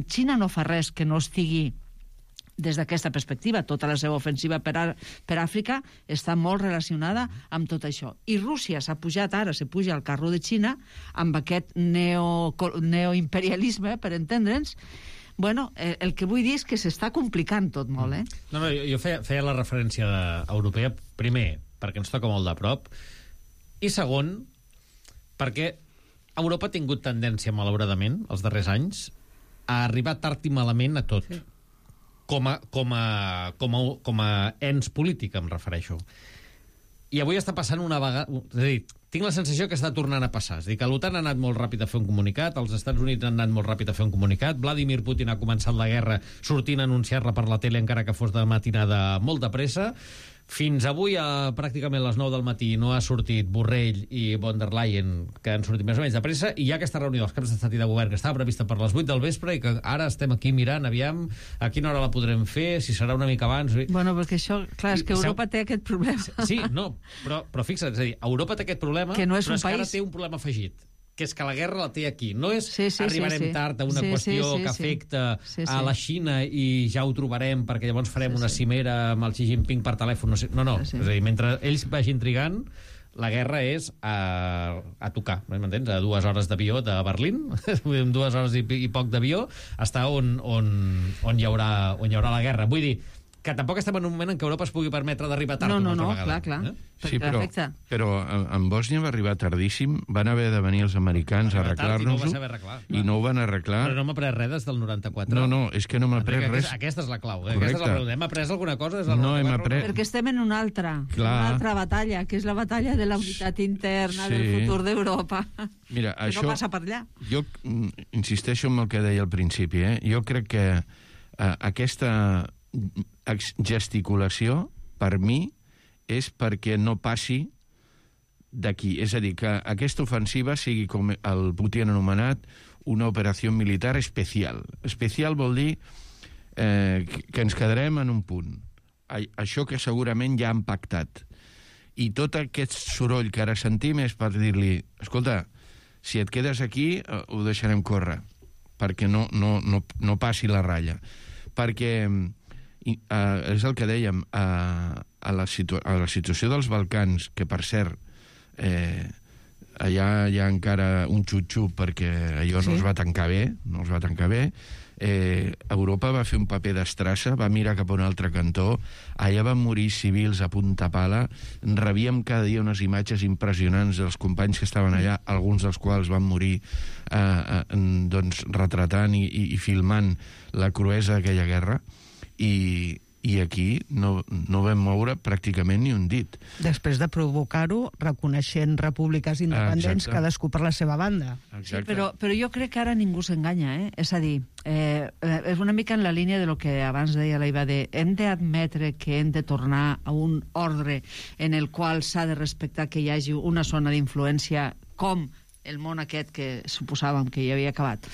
Xina no fa res que no estigui des d'aquesta perspectiva. Tota la seva ofensiva per, a, per Àfrica està molt relacionada amb tot això. I Rússia s'ha pujat ara, se puja al carro de Xina amb aquest neo, neoimperialisme, per entendre'ns. Bueno, el, el que vull dir és que s'està complicant tot molt, eh? No, no, jo feia, feia la referència de, europea, primer, perquè ens toca molt de prop, i segon, perquè Europa ha tingut tendència, malauradament, els darrers anys, a arribar tard i malament a tot. Sí. Com a, com, a, com, a, com a ens polític, em refereixo. I avui està passant una vegada... És a dir, tinc la sensació que està tornant a passar. És a dir, que l'OTAN ha anat molt ràpid a fer un comunicat, els Estats Units han anat molt ràpid a fer un comunicat, Vladimir Putin ha començat la guerra sortint a anunciar-la per la tele, encara que fos de matinada molt de pressa. Fins avui, a pràcticament les nou del matí, no ha sortit Borrell i von der Leyen, que han sortit més o menys de pressa, i hi ha aquesta reunió dels caps d'estat i de govern que estava prevista per les vuit del vespre i que ara estem aquí mirant, aviam, a quina hora la podrem fer, si serà una mica abans... Bueno, perquè això, clar, és que Europa té aquest problema. Sí, no, però, però fixa't, és a dir, Europa té aquest problema, que no és però un és que país... ara té un problema afegit, que és que la guerra la té aquí. No és sí, sí, arribarem sí, sí. tard a una sí, qüestió sí, sí, que sí. afecta sí, sí. a la Xina i ja ho trobarem perquè llavors farem sí, una sí. cimera amb el Xi Jinping per telèfon. No, sé. no, no. Sí, sí. És a dir, mentre ells vagin trigant, la guerra és a, a tocar, m'entens? A dues hores d'avió de Berlín, dues hores i, i poc d'avió, està on, on, on, hi haurà, on hi haurà la guerra. Vull dir, que tampoc estem en un moment en què Europa es pugui permetre d'arribar tard no, no, una altra no, vegada. Clar, clar. Eh? Sí, però, però en Bòsnia va arribar tardíssim, van haver de venir els americans a arreglar-nos-ho i no ho van arreglar. Però no m'ha pres res des del noranta-quatre. No, no, és que no m'ha pres res. Aquesta, aquesta és la clau. Eh? Aquesta és la pregunta. Hem après alguna cosa des del no hem après... Perquè estem en una altra, clar. una altra batalla, que és la batalla de la unitat interna sí. del futur d'Europa. Mira, que això, no passa per allà. Jo insisteixo en el que deia al principi. Eh? Jo crec que eh, aquesta gesticulació, per mi, és perquè no passi d'aquí. És a dir, que aquesta ofensiva sigui, com el Putin ha anomenat, una operació militar especial. Especial vol dir eh, que ens quedarem en un punt. Això que segurament ja han pactat. I tot aquest soroll que ara sentim és per dir-li, escolta, si et quedes aquí, eh, ho deixarem córrer, perquè no, no, no, no passi la ratlla. Perquè, eh, és el que dèiem, eh, a, la situ a la situació dels Balcans, que per cert, eh, allà hi ha encara un xup-xup perquè allò sí. no es va tancar bé, no es va tancar bé, Eh, Europa va fer un paper d'estrassa, va mirar cap a un altre cantó, allà van morir civils a punta pala, rebíem cada dia unes imatges impressionants dels companys que estaven allà, alguns dels quals van morir eh, eh, doncs, retratant i, i, i filmant la cruesa d'aquella guerra, i, i aquí no, no vam moure pràcticament ni un dit. Després de provocar-ho, reconeixent repúbliques independents, Exacte. cadascú per la seva banda. Sí, però, però jo crec que ara ningú s'enganya, eh? És a dir, eh, és una mica en la línia de lo que abans deia la Iva, de hem d'admetre que hem de tornar a un ordre en el qual s'ha de respectar que hi hagi una zona d'influència com el món aquest que suposàvem que ja havia acabat.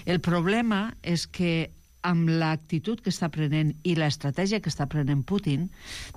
El problema és que amb l'actitud que està prenent i l'estratègia que està prenent Putin,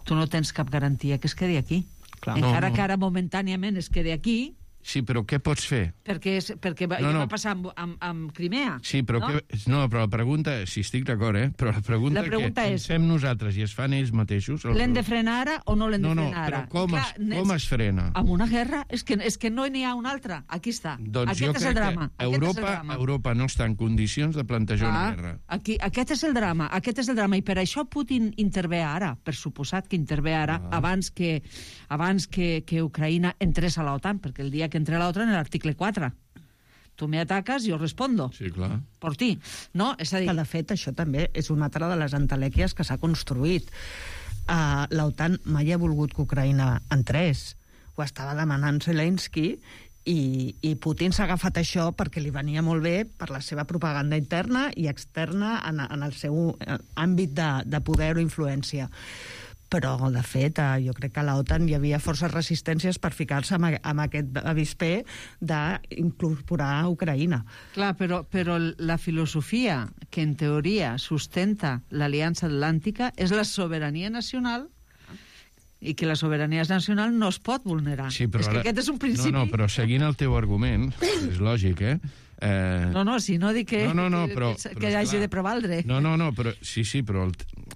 tu no tens cap garantia que es quedi aquí. Clar. Encara no, no. que ara momentàniament es quedi aquí. Sí, però què pots fer? Perquè, és, perquè va, no, no. va passar amb, amb, amb Crimea. Sí, però, no? Que, no, però la pregunta, si estic d'acord, eh? Però la pregunta, la pregunta que és, ens fem nosaltres i es fan ells mateixos... L'hem de frenar ara o no l'hem no, de no, frenar ara? No, però com, Clar, es, com es frena? Amb una guerra? És que, és que no n'hi ha una altra. Aquí està. Doncs aquest jo és crec el drama. que Europa, el drama. Europa no està en condicions de plantejar ah, una guerra. Aquí, aquest és el drama. Aquest és el drama. I per això Putin intervé ara. Per suposat que intervé ara, ah. abans que, abans que, que Ucraïna entrés a l'OTAN, perquè el dia que entré a l'OTAN en l'article quatre. Tu me ataques, jo respondo. Sí, clar. Per ti. No? És a dir... Que, de fet, això també és una altra de les entelèquies que s'ha construït. Uh, L'OTAN mai ha volgut que Ucraïna entrés. Ho estava demanant Zelensky i, i Putin s'ha agafat això perquè li venia molt bé per la seva propaganda interna i externa en, en el seu àmbit de, de poder o influència. Però, de fet, jo crec que a l'OTAN hi havia forces resistències per ficar-se amb, amb aquest avispé d'incorporar Ucraïna. Clar, però, però la filosofia que en teoria sustenta l'Aliança Atlàntica és la sobirania nacional i que la sobirania nacional no es pot vulnerar. Sí, però és ara... que aquest és un principi... No, no, però seguint el teu argument, és lògic, eh? Eh... No, no, si no dic que, no, no, no, però, que, però, que hagi de prevaldre. No, no, no, però sí, sí, però el,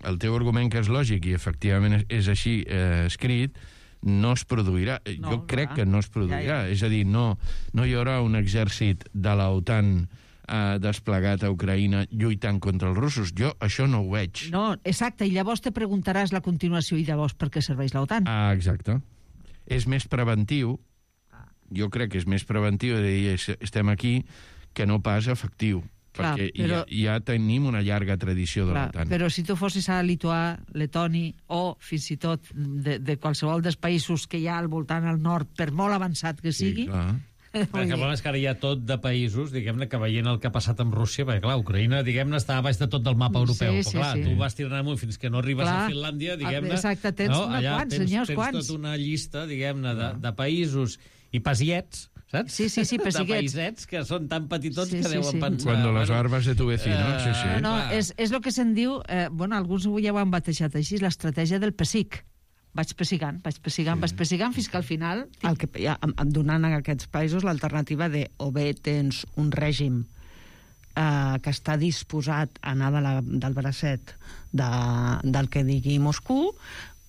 el teu argument que és lògic i efectivament és, és així eh, escrit, no es produirà. No, jo crec clar. que no es produirà. Ja, ja. És a dir, no, no hi haurà un exèrcit de l'OTAN eh, desplegat a Ucraïna lluitant contra els russos. Jo això no ho veig. No, exacte, i llavors te preguntaràs la continuació i llavors per què serveix l'OTAN. Ah, exacte. És més preventiu, jo crec que és més preventiu de dir estem aquí que no pas efectiu. Clar, perquè però, ja, ja tenim una llarga tradició de l'OTAN. Però si tu fossis a Lituà, Letònia o fins i tot de, de qualsevol dels països que hi ha al voltant al nord, per molt avançat que sigui... Sí, clar. Perquè el problema és que ara hi ha tot de països, diguem-ne, que veient el que ha passat amb Rússia, perquè, clar, Ucraïna, diguem-ne, està a baix de tot del mapa europeu. Sí, però, sí, clar, sí. tu vas tirant amunt fins que no arribes clar, a Finlàndia, diguem-ne... Exacte, tens no? una Allà quants, tens, senyors, tens quants. tota una llista, diguem-ne, de, de països i pasiets, saps? Sí, sí, sí, de païsets que són tan petitons sí, que sí, deuen sí. pensar... Cuando bueno, las barbas de tu vecino, uh, sí, sí. No, és, és el que se'n diu, eh, bueno, alguns ja ho han batejat així, l'estratègia del pessic. Vaig pessigant, vaig pessigant, sí. vaig pessigant, fins que al final... El que, ja, donant a aquests països l'alternativa de o bé tens un règim eh, que està disposat a anar de la, del bracet de, del que digui Moscou,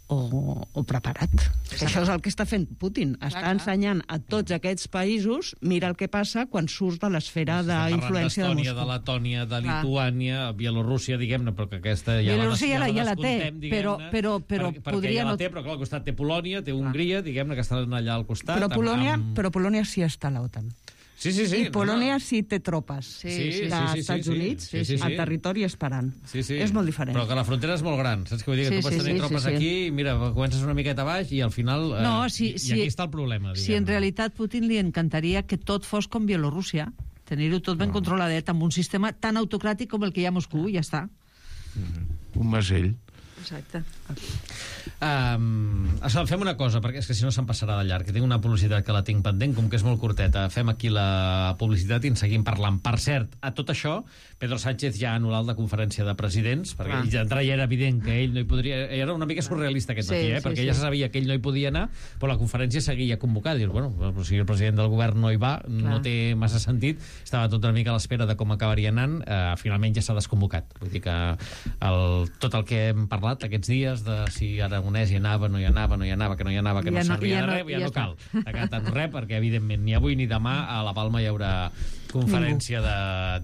o, o preparat. Sí. Això és el que està fent Putin. Està clar, ensenyant a tots aquests països, mira el que passa quan surts de l'esfera d'influència de Moscou. De Letònia, de Lituània, Bielorússia, diguem-ne, però que aquesta ja Bielorússia la, ja, ja la té, però, però, però per, podria... ja la té, però clar, al costat té Polònia, té Hongria, diguem-ne, que estan allà al costat. Però Polònia, amb, amb... però Polònia sí està a l'OTAN. Sí, sí, sí. I Polònia no, no. sí té tropes sí, sí, dels sí, sí, Estats sí, Units sí, sí, sí. al territori esperant. Sí, sí. És molt diferent. Però que la frontera és molt gran, saps què vull dir? Que Sí, tu pots sí, tenir sí, tropes sí, sí. aquí, i mira, comences una miqueta baix i al final... Eh, No, si, i, si, I aquí està el problema, diguem-ne. Si en realitat Putin li encantaria que tot fos com Bielorússia, tenir-ho tot ben no. controladet, amb un sistema tan autocràtic com el que hi ha a Moscou, i ja està. Mm-hmm. Un masell. Exacte. Um, fem una cosa, perquè és que si no se'n passarà de llarg, que tinc una publicitat que la tinc pendent, com que és molt curteta. Fem aquí la publicitat i en seguim parlant. Per cert, a tot això, Pedro Sánchez ja ha anul·lat la conferència de presidents, perquè ah. d'entrada ja era evident que ell no hi podria... Era una mica surrealista aquest matí, sí, eh? sí, perquè sí. ja se sabia que ell no hi podia anar, però la conferència seguia convocada. Dius, bueno, si el president del govern no hi va, Clar. no té massa sentit. Estava tot una mica a l'espera de com acabaria anant. Uh, finalment ja s'ha desconvocat. Vull dir que el, tot el que hem parlat aquests dies, de si Aragonès hi anava, no hi anava, no hi anava, que no hi anava, que ja no servia no, de res, ja, ja no cal. Ha tant res, perquè evidentment ni avui ni demà a la Palma hi haurà conferència de,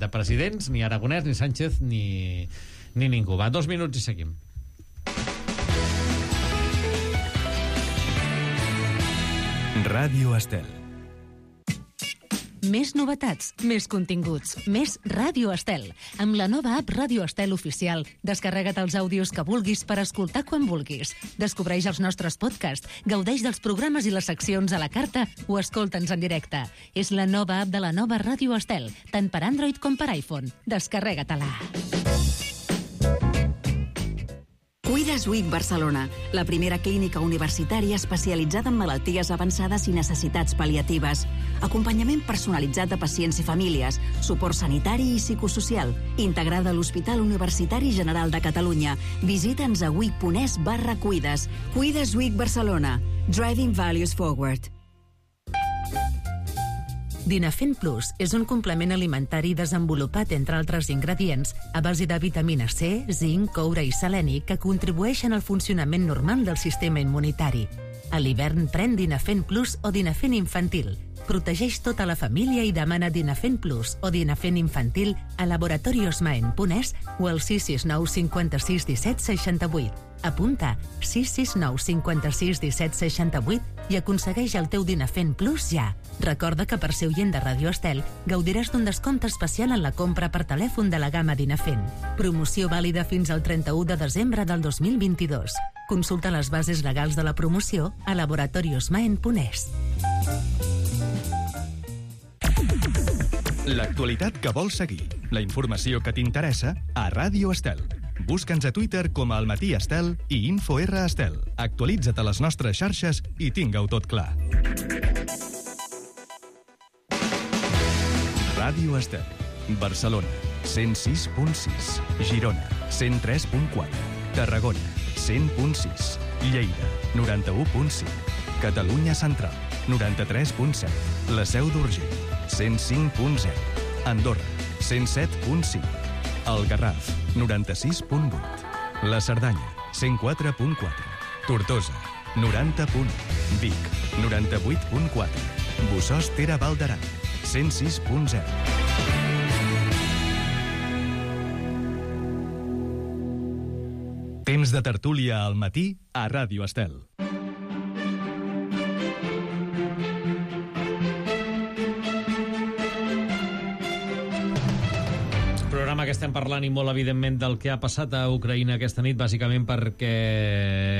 de presidents, ni Aragonès, ni Sánchez, ni, ni ningú. Va, dos minuts i seguim. Ràdio Estel. Més novetats, més continguts, més Ràdio Estel. Amb la nova app Ràdio Estel Oficial, descarrega't els àudios que vulguis per escoltar quan vulguis. Descobreix els nostres podcasts, gaudeix dels programes i les seccions a la carta o escolta'ns en directe. És la nova app de la nova Ràdio Estel, tant per Android com per iPhone. Descarrega-te-la. Cuides Week Barcelona, la primera clínica universitària especialitzada en malalties avançades i necessitats pal·liatives. Acompanyament personalitzat de pacients i famílies, suport sanitari i psicosocial, integrada a l'Hospital Universitari General de Catalunya. Visita'ns a week.es barra cuides. Cuides Week Barcelona. Driving Values Forward. Dinafen Plus és un complement alimentari desenvolupat, entre altres ingredients, a base de vitamina C, zinc, coure i seleni que contribueixen al funcionament normal del sistema immunitari. A l'hivern pren Dinafen Plus o Dinafen Infantil. Protegeix tota la família i demana Dinafen Plus o Dinafen Infantil a laboratoriosmaen punt es o al sis sis nou cinquanta-sis disset seixanta-vuit. Apunta sis sis nou cinquanta-sis disset seixanta-vuit i aconsegueix el teu Dinafen Plus ja. Recorda que per ser oient de Ràdio Estel gaudiràs d'un descompte especial en la compra per telèfon de la gamma Dinafen. Promoció vàlida fins al trenta-u de desembre del dos mil vint-i-dos. Consulta les bases legals de la promoció a laboratoriosmaen punt es. L'actualitat que vols seguir, la informació que t'interessa a Ràdio Estel. Busca'ns a Twitter com a Almatí Estel i InfoR Estel. Actualitza't a les nostres xarxes i tinga-ho tot clar. Ràdio Estel. Barcelona, cent sis punt sis. Girona, cent tres punt quatre. Tarragona, cent punt sis. Lleida, noranta-u punt cinc. Catalunya Central, noranta-tres punt set. La Seu d'Urgell, cent cinc punt zero. Andorra, cent set punt cinc. El Garraf, noranta-sis punt vuit. La Cerdanya, cent quatre punt quatre. Tortosa, noranta punt u. Vic, noranta-vuit punt quatre. Bossòst Tere Val d'Aran, cent sis punt zero. Temps de tertúlia al matí a Ràdio Estel. Programa que estem parlant i molt evidentment del que ha passat a Ucraïna aquesta nit, bàsicament perquè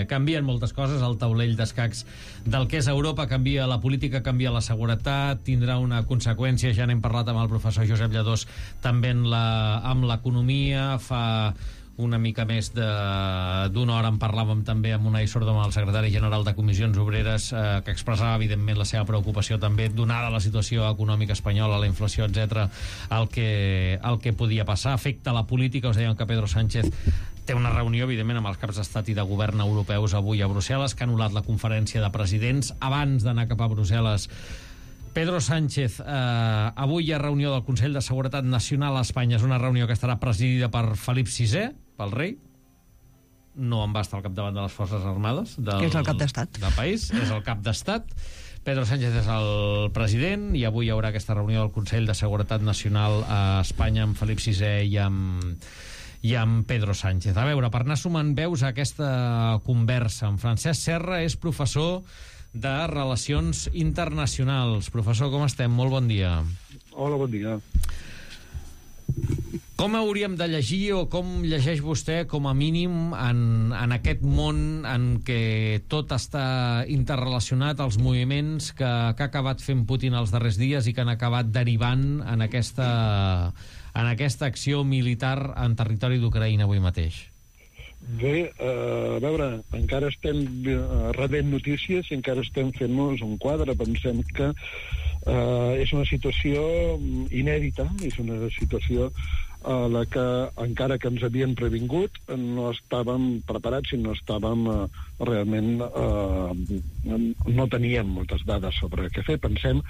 canvien moltes coses, el taulell d'escacs del que és Europa canvia, la política canvia, la seguretat tindrà una conseqüència, ja n'hem parlat amb el professor Josep Lladós també en la, amb l'economia. Fa una mica més d'una hora en parlàvem també amb Unai Sordom, el secretari general de Comissions Obreres, eh, que expressava evidentment la seva preocupació també, donada la situació econòmica espanyola, la inflació, etcètera, el que, el que podia passar. Afecta la política. Us deien que Pedro Sánchez té una reunió, evidentment, amb els caps d'estat i de govern europeus avui a Brussel·les, que ha anul·lat la conferència de presidents. Abans d'anar cap a Brussel·les, Pedro Sánchez, eh, avui hi ha reunió del Consell de Seguretat Nacional a Espanya. És una reunió que estarà presidida per Felip sisè, pel rei. No en va estar al capdavant de les Forces Armades del, que és el cap d'estat del país, és el cap d'estat. Pedro Sánchez és el president i avui hi haurà aquesta reunió del Consell de Seguretat Nacional a Espanya amb Felip sisè i amb, i amb Pedro Sánchez. A veure, per anar sumant veus a aquesta conversa, en Francesc Serra és professor de Relacions Internacionals. Professor, com estem? Molt bon dia. Hola, bon dia. Com hauríem de llegir o com llegeix vostè com a mínim en, en aquest món en què tot està interrelacionat, els moviments que, que ha acabat fent Putin els darrers dies i que han acabat derivant en aquesta, en aquesta acció militar en territori d'Ucraïna avui mateix? Bé, uh, a veure, encara estem uh, rebent notícies i encara estem fent-nos un quadre. Pensem que uh, és una situació inèdita, és una situació a la que, encara que ens havien previngut, no estàvem preparats i no estàvem uh, realment... Uh, no teníem moltes dades sobre què fer. Pensem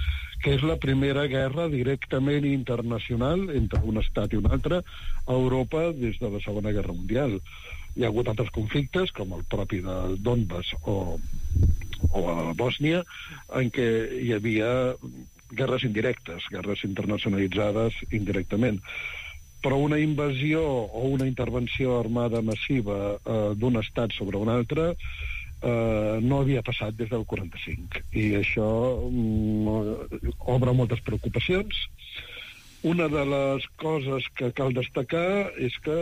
que és la primera guerra directament internacional entre un estat i un altre a Europa des de la Segona Guerra Mundial. Hi ha hagut altres conflictes, com el propi de Donbass o, o a Bòsnia, en què hi havia guerres indirectes, guerres internacionalitzades indirectament. Però una invasió o una intervenció armada massiva eh, d'un estat sobre un altre eh, no havia passat des del quaranta-cinc. I això mm, obre moltes preocupacions. Una de les coses que cal destacar és que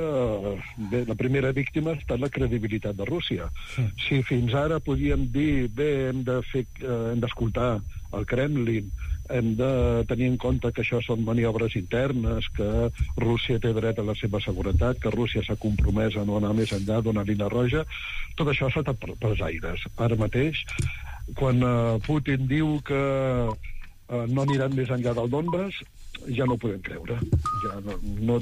bé, la primera víctima ha estat la credibilitat de Rússia. Sí. Si fins ara podíem dir bé, hem de fer, eh, hem d'escoltar el Kremlin, hem de tenir en compte que això són maniobres internes, que Rússia té dret a la seva seguretat, que Rússia s'ha compromès a no anar més enllà d'una línia roja, tot això ha saltat per, pels aires. Ara mateix, quan eh, Putin diu que eh, no aniran més enllà del Donbass, ja no ho podem creure. Ja no, no